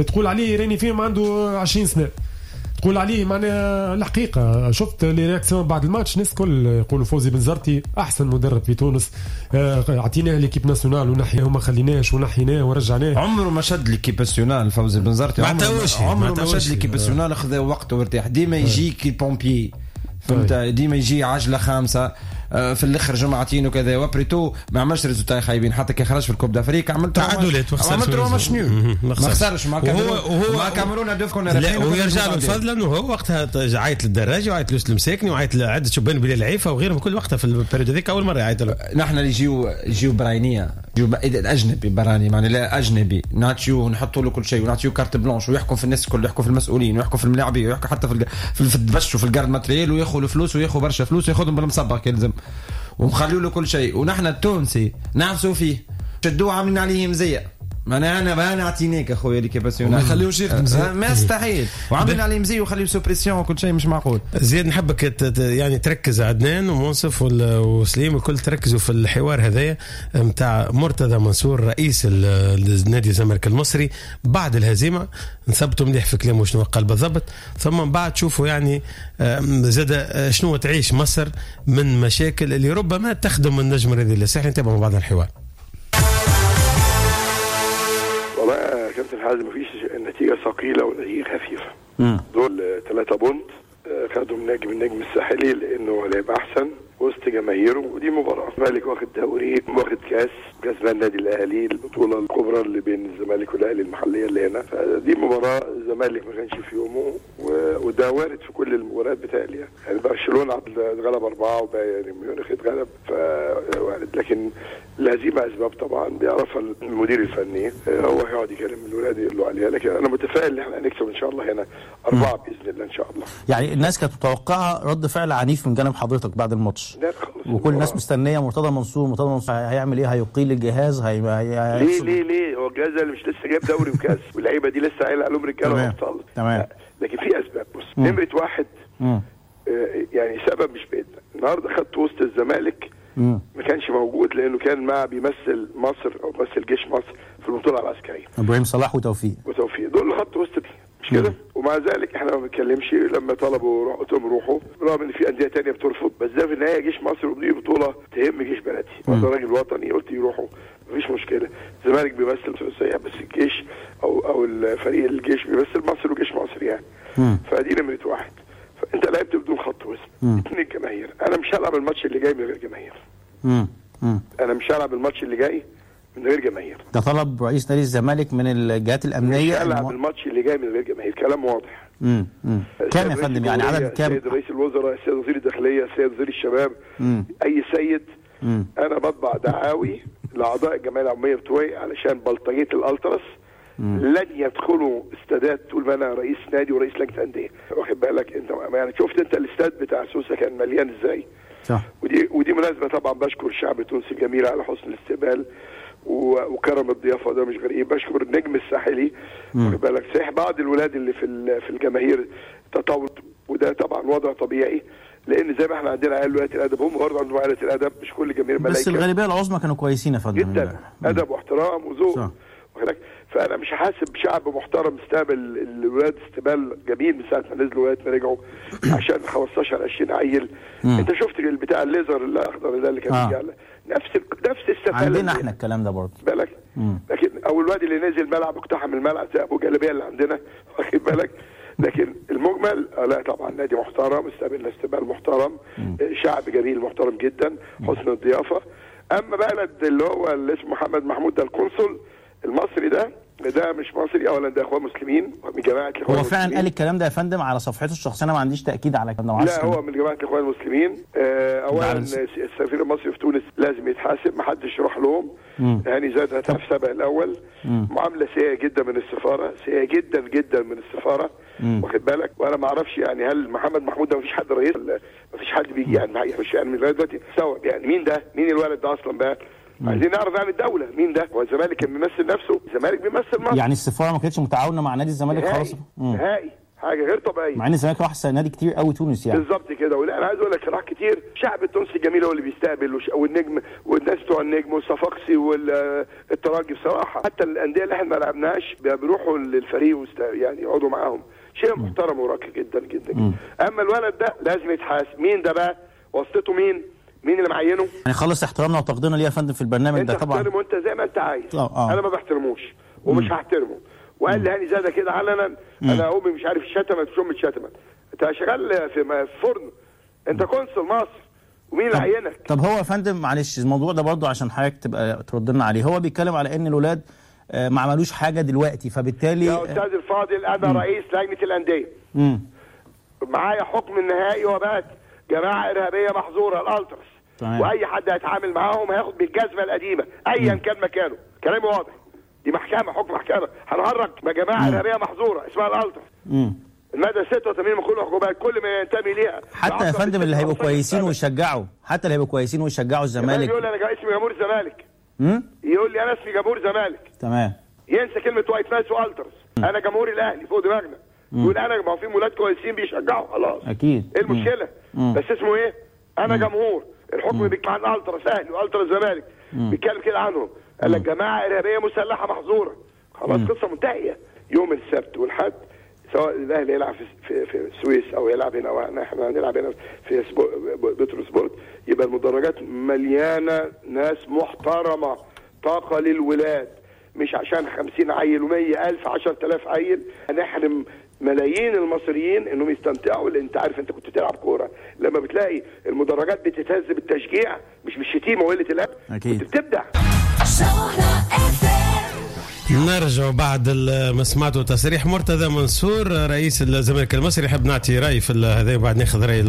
[SPEAKER 3] تقول عليه راني فيهم عنده عشرين سنة، تقول عليه معناها الحقيقة شفت les réactions بعد الماتش، الناس الكل يقولوا فوزي بنزرتي احسن مدرب في تونس، اعطيناه l'équipe nationale ونحياه وما خليناش ونحيناه ورجعناه.
[SPEAKER 4] عمره ما شد l'équipe nationale فوزي بنزرتي، عمره ما شد l'équipe nationale، خذا وقته وارتاح. ديما يجيك ال pompier فهمت، ديما يجي عجله خامسة في الاخر جمعتين وكذا، و après tout ما عملش résultats خايبين. حتى كي خرج في ال Coupe d'Afrique عملت
[SPEAKER 2] تعادلات وخسر،
[SPEAKER 4] عملت match nul ما خسرش مع الكاميرون، مع الكاميرون دوف كنا
[SPEAKER 2] رابحين. ويرجع له الفضل انه هو وقتها عيط للدراجي وعيط لوسط المساكني وعيط لعدة شبان بلال العيفه وغيرهم، كل وقتها في ال période هذيك اول مرة يعيط له.
[SPEAKER 4] نحن اللي يجيو يجيو براينيه، يجيو الاجنبي براني معني لا اجنبي، نعطيوه نحطوا له كل شيء ونعطيوه carte blanche ويحكم في الناس الكل، يحكم في المسؤولين ويحكم في الملاعبيه ويحكم حتى في في الدبش وفي ال garde matériel، وياخذ الفلوس وياخذ برشا فلوس وياخذهم بالمصبغ كي ومخلوا له كل شيء. ونحن التونسي نعفسوا فيه، شدوه عاملين عليه مزية، معناها انا ما نعطينيك اخويا l'équipe nationale،
[SPEAKER 6] ما يخليوش يخدم مزيان،
[SPEAKER 4] ما يستحيل، وعاملين عليه مزية وخليه sous pression وكل شيء مش معقول.
[SPEAKER 2] زياد نحبك يعني تركز، عدنان ومنصف وسليم وكل تركزوا في الحوار هذايا نتاع مرتضى منصور رئيس النادي الزمالك المصري بعد الهزيمة، نثبتوا مليح في كلامه شنو قال بالضبط، ثم من بعد شوفوا يعني زاد شنو تعيش مصر من مشاكل اللي ربما تخدم النجم الرياضي الساحلي. نتابعوا بعض الحوار.
[SPEAKER 11] والله يا كابتن حازم مفيش النتيجة ثقيلة والنتيجة خفيفة. دول ثلاثة بونت خدهم نجم النجم الساحلي لأنه لعب أحسن وسط جماهيره، ودي مباراة. الزمالك واخد دوري واخد كاس، كسبان النادي الأهلي البطولة الكبرى اللي بين الزمالك والأهلي المحلية اللي هنا، فدي مباراة الزمالك ما كانش في يومه، وده وارد في كل المباريات بتاعي يعني. برشلونة اتغلب أربعة وبايرن ميونخ اتغلب، فوارد. لكن الهزيمة أسباب طبعا بيعرفها المدير الفني، هو هيقعد يكلم الولاد يقول له عليها، لكن أنا متفائل إن احنا هنكسب إن شاء الله هنا أربعة بإذن الله إن شاء الله.
[SPEAKER 12] يعني الناس كانت متوقعة رد فعل عنيف من جانب حضرتك بعد الماتش، وكل الناس مستنيه مرتضى منصور، مرتضى منصور هيعمل ايه؟ هيقيل الجهاز؟ هي... هي...
[SPEAKER 11] ليه ليه ليه هو الجهاز اللي مش لسه جايب دوري وكاس واللعيبة دي لسه قايله عليهم رجاله وابطال.
[SPEAKER 12] تمام.
[SPEAKER 11] لكن في اسباب. بص، نمره واحد آه يعني سبب مش بايدنا. النهارده خدت وسط الزمالك مم. ما كانش موجود لانه كان مع بيمثل مصر او بيمثل جيش مصر في البطولة العسكرية،
[SPEAKER 12] ابراهيم صلاح وتوفيق
[SPEAKER 11] وتوفيق دول خط وسط، مش كده؟ ومع ذلك احنا ما بنتكلمش لما طلبوا قلت لهم روحوا، رغم ان في اندية ثانية بترفض، بس ده في النهاية جيش مصر ودي بطوله تهم جيش بلدي، وانا راجل وطني قلت يروحوا مفيش مشكلة. الزمالك بيمثل ثلاثية بس الجيش او او الفريق الجيش بيمثل مصر وجيش مصر يعني. مم. فدي نمره واحد. فانت لعبت بدون خط وسط. اثنين الجماهير، انا مش هلعب الماتش اللي جاي من غير جماهير.
[SPEAKER 12] مم. مم.
[SPEAKER 11] انا مش هلعب الماتش اللي جاي من غير جماهير.
[SPEAKER 12] ده طلب رئيس نادي الزمالك من الجهات الامنية.
[SPEAKER 11] مش هلعب الماتش اللي جاي من غير جماهير، كلام واضح.
[SPEAKER 12] امم كام يا فندم؟ يعني عدد كام؟
[SPEAKER 11] السيد رئيس الوزراء، السيد وزير الداخلية، السيد وزير الشباب، مم. اي سيد. مم. انا بطبع دعاوي لاعضاء الجمعية العمومية بتوعي علشان بلطجيه الالتراس لن يدخلوا استادات طول ما انا رئيس نادي ورئيس لجنة اندية، واخد بالك انت؟ يعني شفت انت الاستاد بتاع سوسة كان مليان ازاي؟
[SPEAKER 12] صح.
[SPEAKER 11] ودي ودي مناسبة طبعا بشكر الشعب التونسي الجميل على حسن الاستقبال وكرم الضيافة، ده مش غريب. بشكر النجم الساحلي، واخد بالك؟ صحيح بعض الولاد اللي في في الجماهير تطاول، وده طبعا وضع طبيعي لان زي ما احنا عندنا عيال قلة الادب هم برضه عندهم قلة الادب، مش كل الجماهير ملايكة،
[SPEAKER 12] بس الغالبية العظمى كانوا كويسين يا فندم
[SPEAKER 11] جدا، ادب واحترام وذوق. فانا مش حاسب شعب محترم استقبل الولاد استقبال جميل من ساعة ما نزلوا لغاية ما رجعوا عشان خمستاشر عشرين عيل. مم. انت شفت البتاع الليزر الاخضر ده اللي كان آه. بيجي نفس نفس السفاله
[SPEAKER 12] عندنا احنا الكلام ده برضه،
[SPEAKER 11] بالك. مم. لكن او الواد اللي نزل ملعب اقتحم الملعب زي ابو جلابية اللي عندنا، واخد بالك؟ لكن المجمل لا طبعا نادي محترم، استقبلنا استقبال محترم، مم. شعب جميل محترم جدا، حسن الضيافة. اما بلد اللي هو اللي اسمه محمد محمود ده القنصل المصري ده، ده مش مصري اولا، ده اخوان مسلمين من جماعة الاخوان.
[SPEAKER 12] هو فعلا قال الكلام ده يا فندم على صفحته الشخصية؟ انا ما عنديش تاكيد على الكلام ده.
[SPEAKER 11] لا هو من جماعة الاخوان المسلمين. اولا السفير المصري في تونس لازم يتحاسب، ما حدش يروح لهم. هاني زاد هتعرف سبق الاول. مم. معاملة سيئه جدا من السفارة، سيئه جدا جدا من السفارة، واخد بالك؟ وانا ما اعرفش يعني هل محمد محمود ده ما فيش حد رئيس، ما فيش حد بيجي يعني مش يعني لغاية دلوقتي سوا يعني مين ده؟ مين الولد ده اصلا بقى؟ عايزين نعرف يعني الدولة مين ده؟ هو الزمالك كان بيمثل نفسه، الزمالك بيمثل مصر.
[SPEAKER 12] يعني السفارة ما كانتش متعاونة مع نادي الزمالك خالص؟
[SPEAKER 11] نهائي، حاجة غير طبيعية.
[SPEAKER 12] مع ان الزمالك راح نادي كتير قوي تونس يعني.
[SPEAKER 11] بالظبط كده. ولا انا عايز اقول لك راح كتير، الشعب التونسي الجميل هو اللي بيستقبل، والنجم والناس بتوع النجم والصفاقسي والترجي بصراحة، حتى الاندية اللي احنا ما لعبناش بيروحوا للفريق وست... يعني يقعدوا معاهم. شيء محترم وراقي جدا جدا جدا. اما الولد ده لازم يتحاسب. مين ده بقى؟ واسطته مين؟ مين اللي معينة؟
[SPEAKER 12] يعني خلص احترامنا وتقديرنا ليه يا فندم في البرنامج ده طبعا.
[SPEAKER 11] انت وانت زي ما انت عايز.
[SPEAKER 12] آه.
[SPEAKER 11] انا ما بحترموش ومش مم. هحترمه. وقال لي هاني زاده كده علنا، انا امي مش عارف شتمت مش امي اتشتمت. انت شغال في فرن، انت قنصل مصر، ومين اللي عينك؟
[SPEAKER 12] طب هو يا فندم معلش الموضوع ده برضه عشان حضرتك تبقى ترد لنا عليه، هو بيتكلم على ان الاولاد ما عملوش حاجة دلوقتي، فبالتالي
[SPEAKER 11] يا استاذ الفاضل انا مم. رئيس لجنة الاندية، معايا حكم النهائي وبات جماعة ارهابية محظورة الالتراس، واي حد هيتعامل معاهم هياخد بالجزمه القديمة ايا كان مكانه. كلامي واضح، دي محكمة، حكم محكمة، هنهرج ما جماعة ارهابية محظورة اسمها الالتراس. المادة ستة وثمانين من كل العقوبات كل ما ينتمي ليها.
[SPEAKER 12] حتى يا فندم اللي هيبقوا كويسين ويشجعوا، حتى اللي هيبقوا كويسين ويشجعوا الزمالك.
[SPEAKER 11] يقول انا اسمي جمهور الزمالك، يقول لي انا اسمي جمهور الزمالك،
[SPEAKER 12] تمام،
[SPEAKER 11] ينسى كلمة White Knights والتراس. انا جمهور الاهلي فوق دماغنا، يقول انا ما هو في ولاد كويسين بيشجعوا، خلاص
[SPEAKER 12] اكيد،
[SPEAKER 11] ايه المشكلة؟ مم. بس اسمه ايه؟ انا مم. جمهور. الحكم بيتكلم عن التراس اهلي والتراس زمالك، بيتكلم كده عنهم، قال لك جماعة ارهابية مسلحة محظورة، خلاص قصة منتهية. يوم السبت والحد سواء الاهلي يلعب في في, في السويس او يلعب هنا او احنا هنلعب هنا في بترو سبورت، يبقى المدرجات مليانة ناس محترمه، طاقة للولاد، مش عشان خمسين عيل ومية ألف عشرة آلاف عيل هنحرم ملايين المصريين انهم يستمتعوا. لان انت عارف انت كنت بتلعب كورة لما بتلاقي المدرجات بتتهز بالتشجيع مش بالشتيمه وقلة الادب، كنت بتبدع.
[SPEAKER 2] نرجع بعد ما سمعتوا تصريح مرتضى منصور رئيس الزمالك المصري. حاب نعطي راي في هذا وبعد ناخذ راي،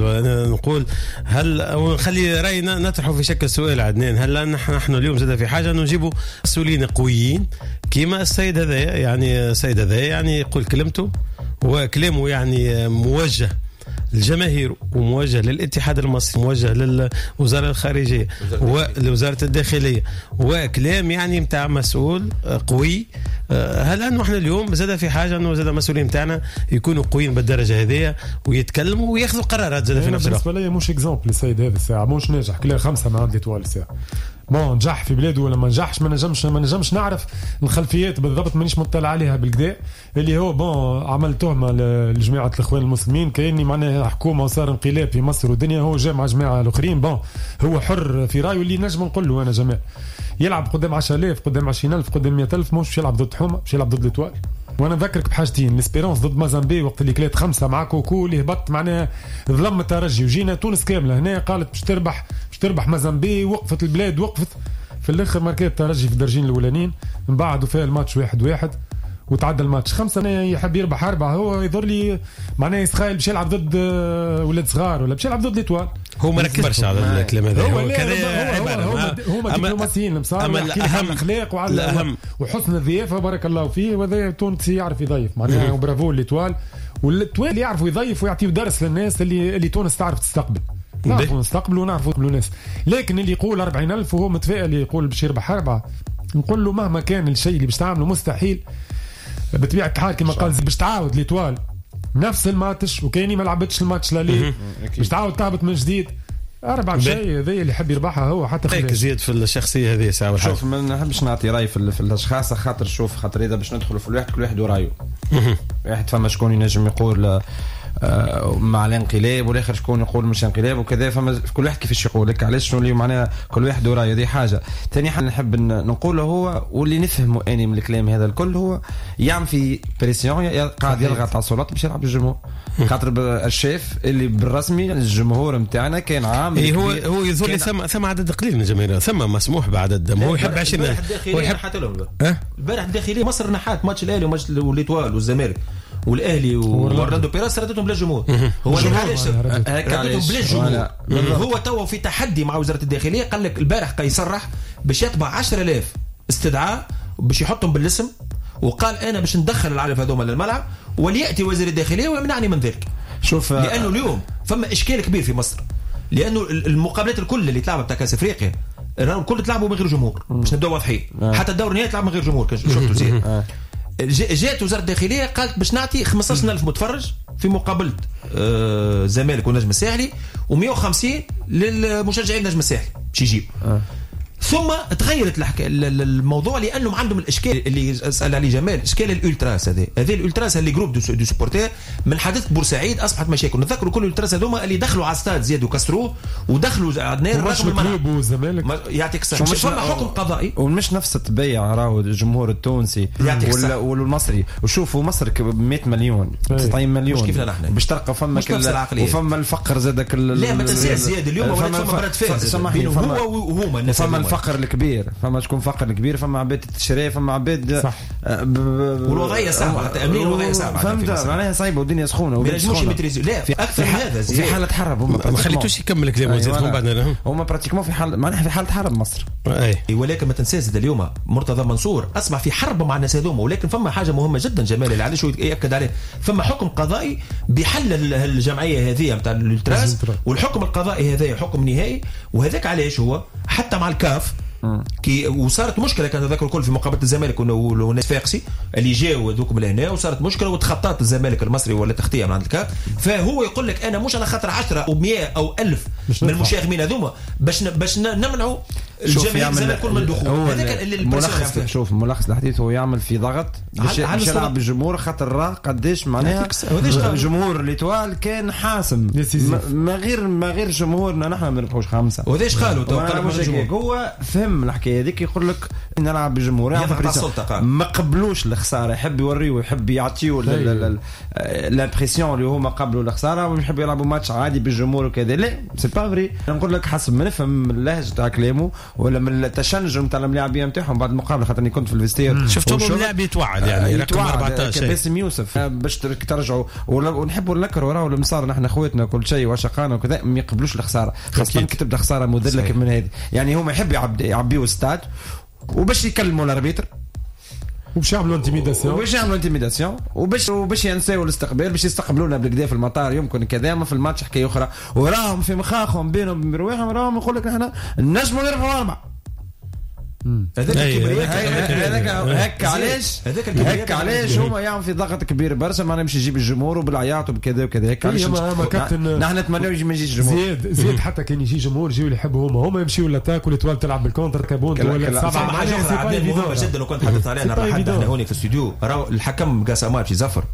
[SPEAKER 2] نقول هل ونخلي راينا نطرحه في شكل سؤال عدنان، هل نحن نحن اليوم زاد في حاجة انه نجيبوا مسؤولين قويين كيما السيد هذا؟ يعني السيد هذا يعني يقول كلمته وكلامه يعني موجه للجماهير وموجه للاتحاد المصري، موجه للوزارة الخارجية ولوزارة الداخلية، وكلام يعني متاع مسؤول قوي. هل أنه احنا اليوم زاد في حاجة أنه زاد المسؤولين متاعنا يكونوا قويين بالدرجة هذه ويتكلموا وياخذوا قرارات زاد في نفس الوقت؟
[SPEAKER 3] بالنسبة لي مش exemple السيد هذا الساعة مش ناجح، كلا خمسة مع عند l'Étoile الساعة. bon نجح في بلاده ولا ما نجحش ما نجمش ما نجمش نعرف الخلفيات بالضبط، مانيش مطلع عليها بالكدا. اللي هو bon عمل تهمه لجماعة الاخوان المسلمين كاني معناها حكومة وصار انقلاب في مصر والدنيا، هو جا مع جماعة الاخرين. bon هو حر في رايه، اللي نجم نقول له انا جماعة يلعب قدام عشرة آلاف قدام عشرين ألف قدام مئة ألف، مش يلعب ضد حومه، مش يلعب ضد l'Étoile. وانا نذكرك بحاجتين، l'Espérance ضد مازامبي وقت اللي كلات خمسة مع كوكو اللي هبط معناها ظلم الترجي، وجينا تونس كاملة هنا قالت باش تربح باش تربح مازامبي، وقفت البلاد وقفت في الاخر ماركات الترجي في الدرجين الاولانيين، من بعد وفاء الماتش واحد واحد وتعدى الماتش خمسة. يحب يربح اربعة، هو يظهر لي معناه يتخيل باش يلعب ضد ولاد صغار ولا باش يلعب ضد l'Étoile.
[SPEAKER 2] هو ما ركزش برشا على الكلام هذا،
[SPEAKER 3] هو كذا عبارة هو هما دبلوماسيين المصار، اما الاهم الاخلاق وعلى وحسن الضيافة بارك الله فيه، وهذا تونسي يعرف يضيف معناها، برافو l'Étoile. وال l'Étoile يعرفوا يضيف ويعطيو درس للناس اللي اللي تونس تعرف تستقبل، نعرفوا نستقبلوا ونعرفوا نقبلوا ناس. لكن اللي يقول أربعين ألف وهو متفائل يقول باش يربح اربعة، نقول له مهما كان الشيء اللي باش تعمله مستحيل. بطبيعة الحال كما قال باش تعاود l'Étoile نفس الماتش وكاني ما لعبتش الماتش l'aller باش تعاود تهبط من جديد أربعة شيء، هذا اللي يحب يربحها هو حتى
[SPEAKER 2] خليك زيد في الشخصية هذه ساعة.
[SPEAKER 4] شوف ما نحبش نعطي رأي في, في الأشخاص، خاطر شوف خاطر إذا باش ندخلوا في الواحد كل واحد ورايه. واحد فما شكون ينجم يقول مع الانقلاب والاخر شكون يقول مش انقلاب وكذا، فما كل واحد كيفاش يقول لك علاش شنو اللي معناها كل واحد ورايه. دي حاجة ثاني حاجة نحب نقوله هو واللي نفهمه اني من الكلام هذا الكل، هو يعمل في pression، قاعد يضغط على السلطات باش يلعب الجمهور، خاطر الشيف اللي بالرسمي الجمهور نتاعنا كان عامل
[SPEAKER 2] إيه هو هو يظهر لي ثم ثم عدد قليل من الجماهير، ثم مسموح بعدد، هو يحب عشرين.
[SPEAKER 5] هو يحب البارح الداخلية مصر نحات ماتش الاهلي وماتش l'Étoile والزمالك والاهلي واورلاندو بيراس ردتهم بلا جمهور. هو علاش ردتهم بلا جمهور؟ هو توا في تحدي مع وزارة الداخلية، قال لك البارح قا يصرح باش يطبع عشرة آلاف استدعاء باش يحطهم بالاسم، وقال انا باش ندخل العالم هذوما للملعب ولياتي وزير الداخلية ويمنعني من ذلك. شوف لانه اليوم فما اشكال كبير في مصر، لانه المقابلات الكل اللي تلعبها بتاع كاس افريقيا راهم الكل تلعبوا من غير جمهور، باش نبداو واضحين. حتى الدور النهائي تلعب من غير جمهور، شفتوا زين. جات وزارة الداخلية قالت باش نعطي خمسة عشر ألف متفرج في مقابله الزمالك والنجم الساحلي ومية وخمسين للمشجعين النجم الساحلي باش يجيو. ثم تغيرت الحكا... الموضوع لانهم عندهم الاشكال اللي سال عليه جمال، اشكال الالتراس هذا، هذه الالتراس اللي groupe de, de supporters من حادثه بورسعيد اصبحت مشاكل. نتذكروا كل الالتراس هذوما اللي دخلوا على استاد زياد وكسروه ودخلوا عدنان رغم
[SPEAKER 3] الملعب والزمالك.
[SPEAKER 5] يعطيك الصحة، فما حكم قضائي
[SPEAKER 4] ومش نفس الطبيعة راهو الجمهور التونسي والمصري. وشوفوا مصر مئة مليون تسعين مليون
[SPEAKER 5] مش كيفنا نحن
[SPEAKER 4] باش تلقى فما كل وفما الفقر زاد كل.
[SPEAKER 5] لا ما تنساش زياد اليوم ولات فما برد فعل هو وهما الناس،
[SPEAKER 4] فما الفقر الكبير، فما شكون فقر الكبير، فما عباد تشري، فما عباد
[SPEAKER 5] والوضعيه صعبة حتى امنيا الوضعية صعبة،
[SPEAKER 4] فهمت معناها صعيبة والدنيا سخونة
[SPEAKER 5] ما ينجموش يمتريزيو. لا في اكثر من هذا
[SPEAKER 4] في حاله حرب
[SPEAKER 2] هما ما خليتوش يكمل كلامه زيد من بعد
[SPEAKER 4] هما pratiquement في حال معناها في حاله حرب مصر.
[SPEAKER 5] اي ولكن ما تنساش اليوم مرتضى منصور اصبح في حرب مع الناس هذوما. ولكن فما حاجة مهمة جدا جمال اللي علاش ياكد عليه، فما حكم قضائي بحل الجمعية هذه نتاع الالتراس، والحكم القضائي هذا حكم نهائي، وهذاك علاش هو حتى مع الكاف كي وصارت مشكلة كان تذكر الكل في مقابله الزمالك والناس فاقسي اللي جاوا هذوك من هنا وصارت مشكلة وتخطات الزمالك المصري ولا تغطيه من عند الكاف. فهو يقول لك انا مش على خاطر عشرة او مئة او ألف من المشاغبين هذوما باش باش نمنعوا الجماهير الزمالك كل من الدخول. هذاك اللي
[SPEAKER 4] الملخص. شوف ملخص الحديث هو يعمل في ضغط باش يلعب بالجمهور خاطر راه قداش معناها جمهور l'Étoile كان حاسم ما غير ما غير جمهورنا نحن ما نربحوش خمسة.
[SPEAKER 5] وهذاش قالوا
[SPEAKER 4] هو فهم الحكاية هذيك يقول لك نلعب بالجمهور ما قبلوش الخسارة، يحب يوريو يحب يعطيو l'impression اللي هما قبلوا الخسارة ويحب يلعبوا ماتش عادي بالجمهور وكذا. لا c'est pas vrai. نقول لك حسب ما نفهم اللهجة تاع كلامه ولا من التشنج نتاع الملاعبيه نتاعهم بعد المقابلة، خاطرني كنت في ال vestiaire
[SPEAKER 2] شفتهم اللاعب يتوعد يعني رقم أربعة عشر
[SPEAKER 4] باسم يوسف باش ترجعوا ونحبوا نكرهوا راهو المصار نحن خواتنا كل شيء وشقانا وكذا ما يقبلوش الخسارة، خاصة كي تبدا خسارة مذلة من هذه. يعني هما يحب يعبيوا ستاد وباش يكلموا ال arbitre
[SPEAKER 3] وباش يعملوا intimidation
[SPEAKER 4] وباش يعملوا intimidation وباش وباش ينساو الاستقبال، باش يستقبلونا بالكدا في المطار يمكن كذا، ما في الماتش حكاية اخرى. وراهم في مخاخهم بينهم وبين رواحهم راهم يقول لك نحن نجموا نربحوا اربعة.
[SPEAKER 5] هذاك الكبرياء
[SPEAKER 4] هذاك هكا علاش هكا علاش هما يعمل في ضغط كبير برشا معناها باش يجيب الجمهور وبالعياط وبكذا وكذا. هكا علاش نحن نتمناو يجي ما يجيش الجمهور.
[SPEAKER 3] زياد زياد حتى كان يجي جمهور يجيو اللي يحبوا هما هما يمشيو l'attaque و l'Étoile تلعب بال contre كابون
[SPEAKER 5] ولا سبعة. حاجة اخرى مهمة جدا وكنت حدثت عليها حتى احنا هوني في الاستوديو، راهو الحكم قاسمات في زفر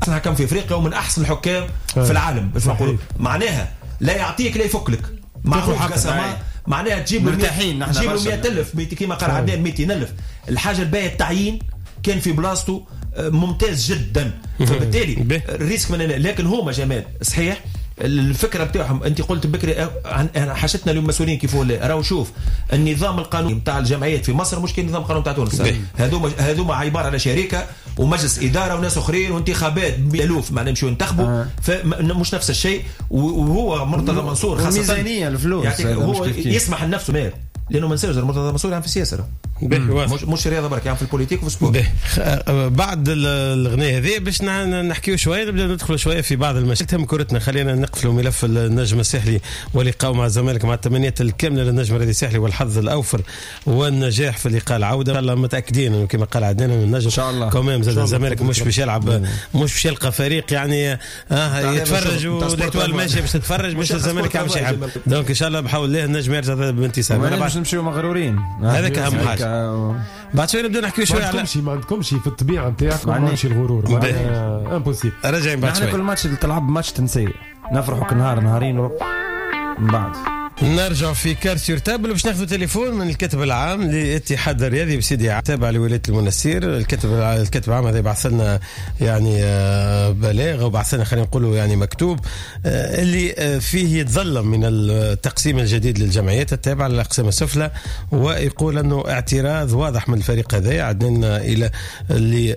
[SPEAKER 5] احسن حكم في افريقيا ومن احسن الحكام في العالم باش نقولوا، معناها لا يعطيك لا يفك لك معروف قاسمات معناها تجيب
[SPEAKER 4] مرتاحين نحن
[SPEAKER 5] تجيب مئة ألف كما قال عدنان مئتين ألف. الحاجة الباهيه التعيين كان في بلاصته ممتاز جدا، فبالتالي ال risque من لكن هما جمال صحيح الفكرة بتاعهم. انت قلت بكري حاجتنا اليوم مسؤولين كيف ولا راهو شوف النظام القانوني نتاع الجمعيات في مصر مش كي النظام القانوني نتاع تونس. هذوما هذوما عبارة على شركة ومجلس ادارة وناس اخرين وانتخابات بالالوف معناها يمشيو ينتخبوا آه. فمش نفس الشيء. وهو مرتضى منصور خاصة
[SPEAKER 4] الميزانية الفلوس
[SPEAKER 5] يعني هو يسمح لنفسه مال لانه ما نساوش مرتضى منصور يعني في السياسة مش مش رياضة برك يعني في ال politique وفي ال sport.
[SPEAKER 2] بعد الغنايه هذه باش نحكيو شوية نبدا ندخلوا شوية في بعض المشاكل تهم كرتنا. خلينا نقفلوا ملف النجم الساحلي ولقاء مع الزمالك مع التمنيات الكاملة للنجم الرياضي الساحلي والحظ الاوفر والنجاح في لقاء العودة. الله متاكدين انه كما قال عدنان النجم
[SPEAKER 4] ان شاء الله
[SPEAKER 2] quand même زاد الزمالك مش باش يلعب مش باش يلقى فريق يعني آه يتفرج و l'Étoile ماشي باش تتفرج مش الزمالك عم يلعب. donc ان شاء الله بحول الله النجم يرجع بانتصار.
[SPEAKER 4] باش نمشيو مغرورين
[SPEAKER 2] هذاك اهم حاجة. بعد شوية نبداو نحكيو شوية
[SPEAKER 3] على ما عندكمش في الطبيعة نتاعكم ما عندكمش الغرور impossible.
[SPEAKER 2] راجعين بعد شوية.
[SPEAKER 4] كل ماتش تلعب ماتش تنسي نفرحوا كنهار نهارين من بعد
[SPEAKER 2] نرجع في carte sur table باش ناخذ تليفون من الكاتب العام للاتحاد الرياضي بسيدي تابع لولاية المنستير. الكاتب الكاتب العام هذا يبعث لنا يعني بلاغ وبعث لنا خلينا نقولوا يعني مكتوب اللي فيه يتظلم من التقسيم الجديد للجمعيات التابعة للاقسام السفلى، ويقول انه اعتراض واضح من الفريق هذا عدنا الى اللي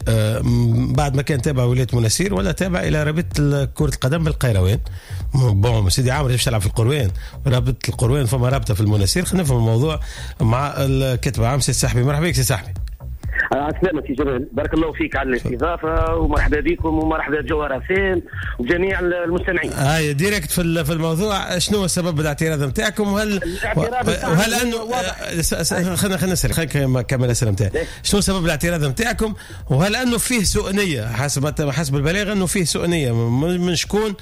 [SPEAKER 2] بعد ما كان تابع ولاية المنستير ولا تابع الى رابطه كره القدم بالقيروان. bon سيدي عامر باش تلعب في القروان رابطه القروان فما رابطه في المنستير. خلينا نفهم الموضوع مع الكاتب العام سي السحبي. مرحبا بك سي السحبي.
[SPEAKER 13] عسلامة سي جمال، بارك الله فيك على الاستضافة ومرحبا بكم ومرحبا بجوهر حسين وجميع المستمعين.
[SPEAKER 2] هاي direct في في الموضوع، شنو هو سبب الاعتراض نتاعكم؟ وهل وهل انه خلينا خلينا نسال خلينا نكمل الاسئلة نتاعي. شنو سبب الاعتراض نتاعكم؟ وهل انه فيه سوء نيه حسب حسب البلاغ انه فيه سوء نيه من شكون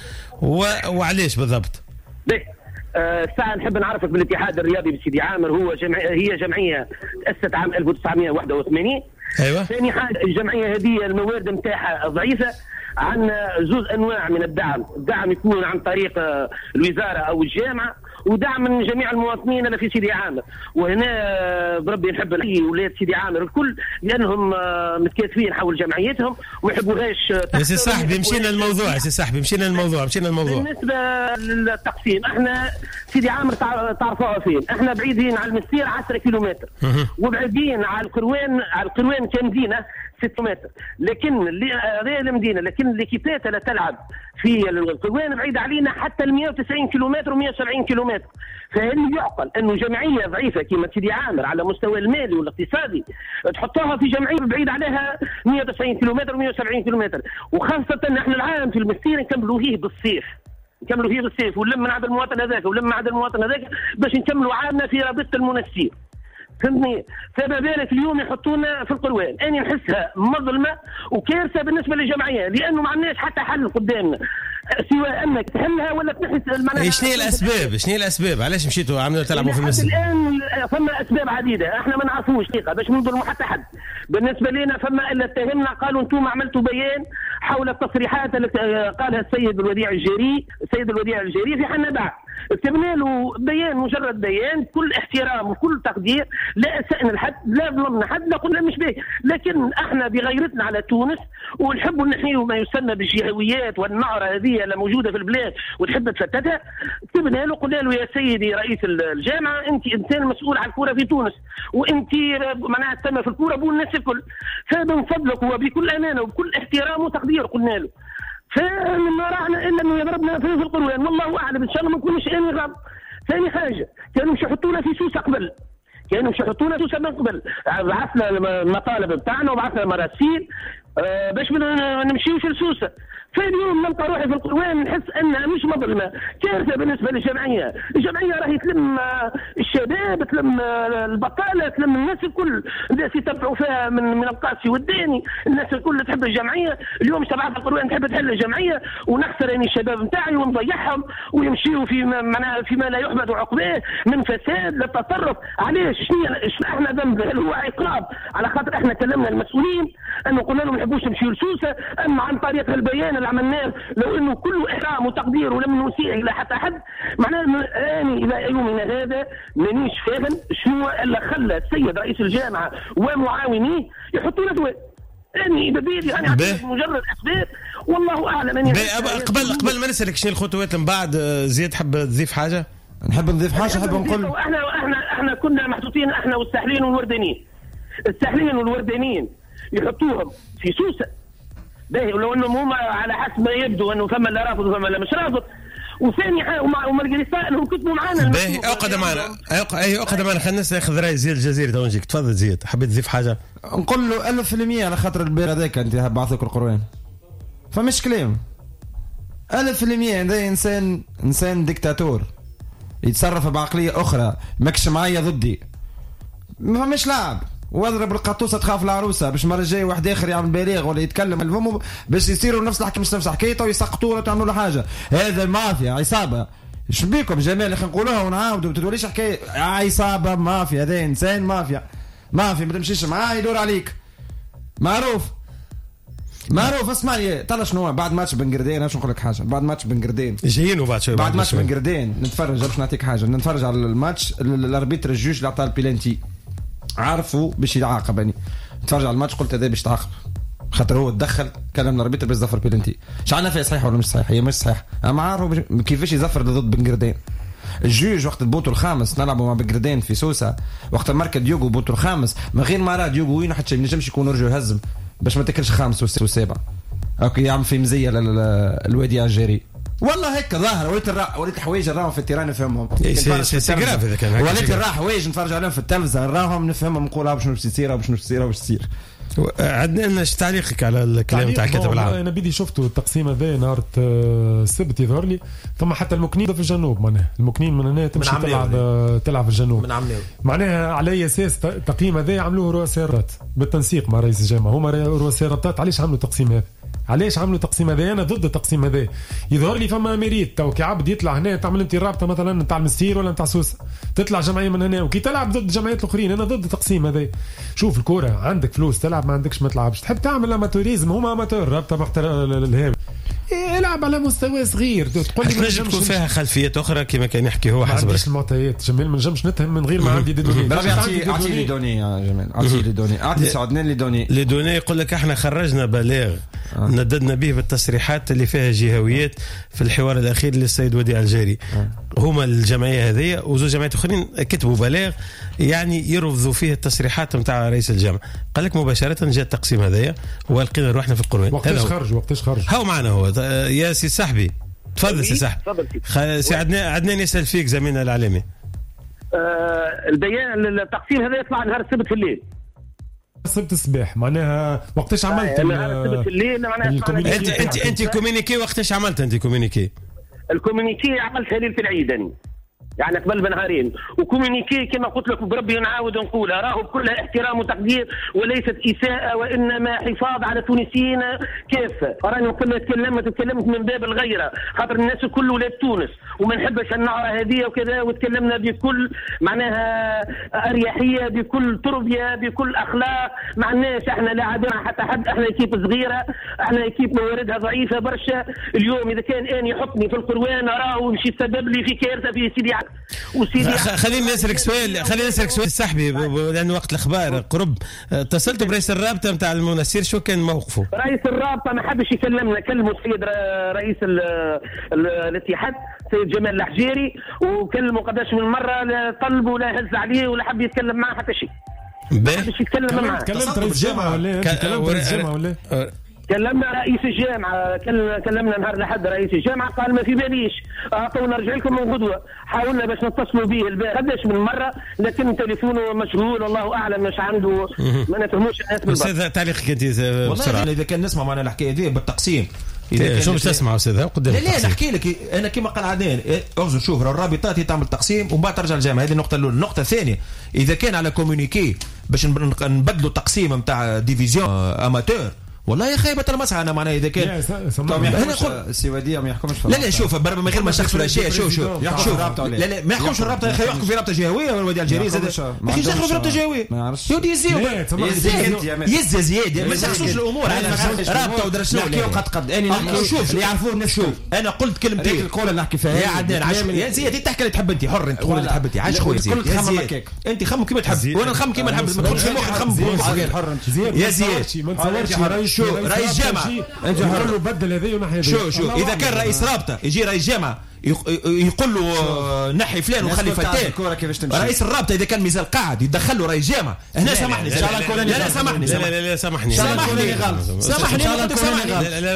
[SPEAKER 2] وعلاش بالضبط؟
[SPEAKER 13] الساعة نحب نعرفك بالاتحاد الرياضي بسيدي عامر، هو جمعية، هي جمعية تأسست عام ألف وتسعمائة وواحد وثمانين.
[SPEAKER 2] ايوه.
[SPEAKER 13] ثاني حاجة الجمعية هذه الموارد نتاعها ضعيفة. عندنا زوز انواع من الدعم، الدعم يكون عن طريق الوزارة او الجامعة، ودعم من جميع المواطنين اللي في سيدي عامر. وهنا بربي نحب نحيي ولاد سيدي عامر الكل لانهم متكاتفين حول جمعيتهم وما يحبوهاش.
[SPEAKER 2] يا سي صاحبي مشينا الموضوع، يا سي صاحبي مشينا الموضوع، مشينا الموضوع.
[SPEAKER 13] بالنسبة للتقسيم احنا سيدي عامر تعرفوها فين، احنا بعيدين على المستير عشرة كيلومتر وبعيدين على القروان، على القروان كمدينه ستة متر، لكن هذه المدينة لكن l'équipe ات اللي تلعب في القروان بعيد علينا حتى ال مئة وتسعين كيلومتر ومئة وسبعين كيلومتر. فهل يعقل انه جمعية ضعيفة كما سيدي عامر على مستوى المالي والاقتصادي تحطوها في جمعية بعيد عليها مئة وتسعين كيلومتر ومئة وسبعين كيلومتر؟ وخاصة احنا العام في المستير نكملوا فيه بالصيف، نكملوا فيه بالصيف ونلم من عند المواطن هذاك ونلم من عند المواطن هذاك باش نكملوا عامنا في رابطه المنستير. فهمتني؟ فما بالك اليوم يحطونا في القروان، اني نحسها مظلمة وكارثة بالنسبة للجمعية لانه ما عندناش حتى حل قدامنا سوى انك تحلها ولا تنحي.
[SPEAKER 2] معناها شنو هي الاسباب؟ شنو هي الاسباب؟ علاش مشيتوا عملوا تلعبوا في المسجد؟
[SPEAKER 13] الان فما اسباب عديدة احنا ما نعرفوش حقيقة باش نظلموا حتى حد. بالنسبة لنا فما الا اتهمنا قالوا انتم عملتوا بيان حول التصريحات التي قالها السيد الوديع الجري، السيد الوديع الجري في حنا بعد كتبنا له بيان، مجرد بيان كل احترام وكل تقدير، لا اسأنا لحد، لا ظلمنا حد، لا قلنا مش به، لكن احنا بغيرتنا على تونس ونحبوا نحيوا ما يسمى بالجهويات والنعره هذه اللي موجودة في البلاد وتحب تفتتها. كتبنا له قلنا له يا سيدي رئيس الجامعة انت انسان مسؤول على الكره في تونس، وانت معناها تسمى في الكره بو الناس الكل، فمن فضلك وبكل امانه وبكل احترام وتقدير قلنا له. فما راحنا الا انه يضربنا في القروان، والله اعلم، ان شاء الله ما نكونوش اني غلط. ثاني حاجة كانوا مش يحطونا في سوسة قبل، كانوا مش يحطونا في سوسة من قبل، بعثنا المطالب بتاعنا وبعثنا مراسيل آه باش ما نمشيوش لسوسه. فاليوم نلقى روحي في القروان نحس انها مش مظلمة، كارثة بالنسبة للجمعية، الجمعية راهي تلم الشباب، تلم البطالة، تلم الناس الكل، الناس يتبعوا فيها من من القاسي والداني، الناس الكل تحب الجمعية، اليوم تبعث القروان تحب تحل الجمعية ونخسر يعني الشباب نتاعي ونضيعهم ويمشيوا في معناها فيما لا يحمد عقباه من فساد للتطرف. علاش؟ شنو احنا ذنب؟ هل هو عقاب على خاطر احنا كلمنا المسؤولين انه قلنا لهم ما نحبوش نمشيوا لسوسه، اما عن طريق البيان اللي عملناه لو انه كله احترام وتقدير ولم نسيء الى حتى حد، معناه اني الى يومنا هذا مانيش فاهم شنو اللي خلى السيد رئيس الجامعة ومعاونيه يحطوا لنا دواء. اني ببيدي انا مجرد اسباب والله اعلم. اني
[SPEAKER 2] قبل قبل ما نسالك شنو الخطوات من بعد، زياد حب تضيف حاجة؟
[SPEAKER 4] نحب نضيف حاجة، نحب نقول
[SPEAKER 13] احنا احنا احنا كنا محطوطين احنا والساحلين والوردانيين، الساحلين والوردانيين يحطوهم في سوسة باهي، ولو انهم هما على حسب ما يبدو انه فما اللي رافض وفما اللي مش رافض. وثاني حاجة ومالغري انهم كتبوا معانا
[SPEAKER 2] باهي. اقعد معنا، اي اقعد معنا، خلينا ناخذ راي زياد الجزيري تو نجيك. تفضل زياد، حبيت تضيف حاجة؟
[SPEAKER 4] نقول له ألف في المية على خاطر البير هذاك انت بعثوك القروان، فمش كلام. ألف في المية هذا انسان انسان ديكتاتور يتصرف بعقلية اخرى، ماكش معايا ضدي، ما فماش لعب. واضرب القطوسه تخاف العروسة باش المرة الجاية واحد اخر يعمل بلاغ ولا يتكلم الفم باش يصيروا نفس الحكاية، مش نفس الحكاية ويسقطوا ولا تعملوا له حاجة. هذا المافيا عصابة، اش بيكم جمال خلينا نقولوها ونعاودوا، ما توليش حكاية عصابة مافيا. هذا انسان مافيا، مافيا ما تمشيش معاه يدور عليك، معروف معروف. اسمعني طلع شنو بعد ماتش بن قردين، باش نقول لك حاجة. بعد ماتش بن قردين
[SPEAKER 2] جايين وبعد شوي
[SPEAKER 4] بعد ماتش بن قردين نتفرج، باش نعطيك حاجة، نتفرج على الماتش ال arbitre ال juge اللي عطاه البيلانتي عارفوا باش يتعاقب. يعني نتفرج على الماتش قلت هذا باش يتعاقب خاطر هو تدخل كلام ال arbitre باش يزفر بيلانتي. مش عارف فيها صحيح ولا مش صحيح، هي مش صحيح، اما عارفوا كيفاش يزفر ضد بن قردين. ال juge وقت البوتو الخامس نلعبوا مع بن قردين في سوسة، وقت ماركا ديوغو بوتو الخامس من غير ما راه ديوغو وين حتى ما ينجمش يكون رجل يهزم باش ما تاكلش خامس وسابع. okay يعمل في مزية الوادي الجيري والله هيك ظاهر. وليت الرا وليت الحوايج نراهم في ال terrain نفهمهم،
[SPEAKER 2] c'est grave اذا كان
[SPEAKER 4] وليت الرا حوايج نتفرج عليهم في التلفزة نراهم نفهمهم، نقول باش باش تصير باش تصير باش تصير.
[SPEAKER 2] عندنا ايش تعليقك على الكلام تاع كاتب العام؟
[SPEAKER 3] انا بدي شفته التقسيم هذا نهار السبت يظهر لي، ثم حتى المكنين في الجنوب، معناها المكنين من هنا تمشي تلعب تلعب في الجنوب
[SPEAKER 5] من عمناوي.
[SPEAKER 3] معناها على اي اساس التقييم هذا عملوه رؤساء الرابطات بالتنسيق مع رئيس الجامعة؟ هما رؤساء الرابطات علاش عملوا التقسيم هذا؟ علاش عملوا التقسيم هذا؟ انا ضد التقسيم هذا. يظهر لي فما mérite تو كي عبد يطلع هنا تعمل انت الرابطة مثلا نتاع المستير ولا نتاع سوسة، تطلع جمعية من هنا وكي تلعب ضد الجمعيات الاخرين، انا ضد التقسيم هذا. شوف الكورة عندك فلوس تلعب، ما عندكش ما تلعبش. تحب تعمل amateurisme، هما amateur رابطه محتر الهام، العب على مستوى صغير.
[SPEAKER 2] تقول لي تنجم تكون فيها خلفيات اخرى كما كان يحكي هو حسب
[SPEAKER 3] رأيي. المعطيات جمال ما نجمش نتهم من غير ما عندي des données.
[SPEAKER 4] اعطي اعطي les données يا جمال، اعطي les données، اعطي سعدنان les données.
[SPEAKER 2] les données يقول لك احنا خرجنا بلاغ آه. نددنا به بالتصريحات اللي فيها جهويات في الحوار الاخير للسيد وديع الجاري. آه. هما الجمعية هذه وزوج جمعيات اخرين كتبوا بلاغ يعني يرفضوا فيه التصريحات نتاع رئيس الجامعة. قال لك مباشرة جاء التقسيم هذايا ولقينا روحنا في القروان.
[SPEAKER 3] وقتاش خرج؟ وقتاش خرج؟
[SPEAKER 2] هاو معنا هو يا سي صاحبي، تفضل سي صاحبي. تفضل سي عدنان، عدنان يسال فيك زميلنا الاعلامي.
[SPEAKER 13] آه البيان التقسيم هذا يطلع نهار السبت في الليل.
[SPEAKER 3] السبت الصباح معناها وقتاش عملت؟
[SPEAKER 13] نهار السبت في الليل معناها
[SPEAKER 2] انت انت انت communiqué وقتاش عملت انت communiqué؟
[SPEAKER 13] ال communiqué عملتها ليلة العيد يعني قبل بنهارين. و communiqué كما قلت لك بربي نعاود نقولها، راهو بكل احترام وتقدير وليست اساءه وانما حفاظ على التونسيين كافة. راني قلنا تكلمت تكلمت من باب الغيرة، خاطر الناس الكل ولاد تونس وما نحبش النعره هذه وكذا، وتكلمنا بكل معناها اريحية، بكل تربيه، بكل اخلاق. ما عندناش احنا لا عداوة حتى حد، احنا équipe صغيرة، احنا équipe مواردها ضعيفة برشا. اليوم اذا كان اني يحطني في القروان راهو مش يسبب لي في كارثة في سيدي
[SPEAKER 2] خليني نسألك سؤال، خليني نسألك سؤال صاحبي لأن وقت الأخبار قرب. اتصلت برئيس الرابطة نتاع المنستير، شو كان موقفه؟
[SPEAKER 13] رئيس الرابطة ما حبش يكلمنا، كلموا السيد رئيس ال ال الاتحاد السيد جمال الحجيري، وكلموا قداش من مرة، لا طلبوا لا هز عليه ولا حب يتكلم معاه حتى شيء. ما حبش يتكلم معاه.
[SPEAKER 3] كلمت رئيس الجامعة ولا؟ كلمت رئيس الجامعة ولا؟
[SPEAKER 13] كلمنا رئيس الجامعة، كلمنا نهار الأحد رئيس الجامعة، قال ما في باليش، اعطونا نرجع لكم من غدوة. حاولنا باش نتصلوا به البارح قداش من مرة، لكن تليفونه مشغول، الله أعلم مش عنده، ما نفهموش الناس بالضبط.
[SPEAKER 2] أستاذ تعليقك أنت بسرعة.
[SPEAKER 5] والله إذا كان نسمع معنا الحكاية دي بالتقسيم،
[SPEAKER 2] شو باش تسمع أستاذ قدام؟
[SPEAKER 5] لا لا نحكي لك أنا كما قال عدنان، أرجو شوف الرابطات هي تعمل تقسيم ومن بعد ترجع للجامعة، هذه النقطة الأولى. النقطة الثانية إذا كان على communiqué باش نبدلوا التقسيم نتاع division amateur، والله يا خيبة المسعى. انا معناها اذا كان
[SPEAKER 4] انا سي وديع ما يحكمش.
[SPEAKER 5] لا لا شوف من غير ما شخص ولا شيء، شوف شوف شوف لا لا ما يحكمش الرابطة يا اخي، يحكم في رابطه جهويه ولا وديع الجري زاد ما يدخلوا في رابطه جهويه. يا ودي يزيو يزي زياد ما يشخصوش الامور. رابطه ودرا شنو
[SPEAKER 4] نحكيو قد قد اني نحكي
[SPEAKER 5] شوف اللي يعرفوه الناس. شوف انا قلت كلمتين
[SPEAKER 4] القول اللي نحكي فيها
[SPEAKER 5] يا عدنان، يا زياد انت تحكي اللي تحب، انت حر، انت تقول اللي تحب، انت عايش خويا زياد، انت خمم كيما تحب وانا نخمم كيما نحب، ما تدخلش في مخك نخمم يا زياد. شو رئيس جامعة
[SPEAKER 3] انت يقول له بدل هذه ونحي هذه.
[SPEAKER 5] شو شو اذا كان رئيس رابطه يجي رئيس جامعه يقول له نحي فلان وخلي فتان، رئيس الرابطة اذا كان مازال قاعد يدخل له رئيس جامعه هنا سامحني. لا لا سامحني،
[SPEAKER 2] لا لا لا سامحني،
[SPEAKER 5] سامحني سامحني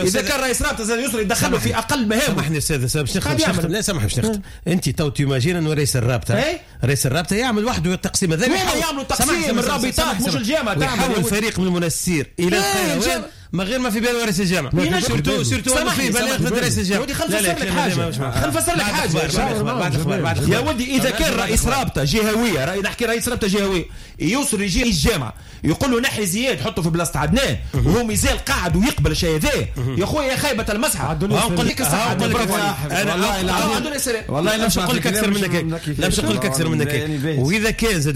[SPEAKER 5] اذا كان رئيس رابطه زاد يسري يدخل له في اقل مهام.
[SPEAKER 2] سامحني استاذ باش نختم. لا سامحني باش نختم. انت تو t'imagines انه رئيس الرابطة رئيس الرابطة يعمل وحده التقسيم هذا،
[SPEAKER 5] يعملوا التقسيم الرابطات مش الجامعة،
[SPEAKER 2] تعمل فريق من المنستير الى القيروان ما غير ما في باله رئيس الجامعة، surtout surtout انه في بلاغ ضد رئيس الجامعة.
[SPEAKER 5] يا ودي خلينا نفسر لك حاجة، خلينا نفسر لك حاجة
[SPEAKER 2] بعد الاخبار بعد
[SPEAKER 5] يا ودي. اذا كان رئيس رابطه جهويه، نحكي رئيس رابطه جهويه، يوصل يجي الجامعة يقول له نحي زياد حطه في بلاصة عدنان، وهو مازال قاعد ويقبل الشيء هذا، يا خويا يا خيبه المسحة.
[SPEAKER 2] نقول لك الصح، انا والله والله لا باش نقول لك اكثر منك، لا باش نقول لك اكثر منك. واذا كان زاد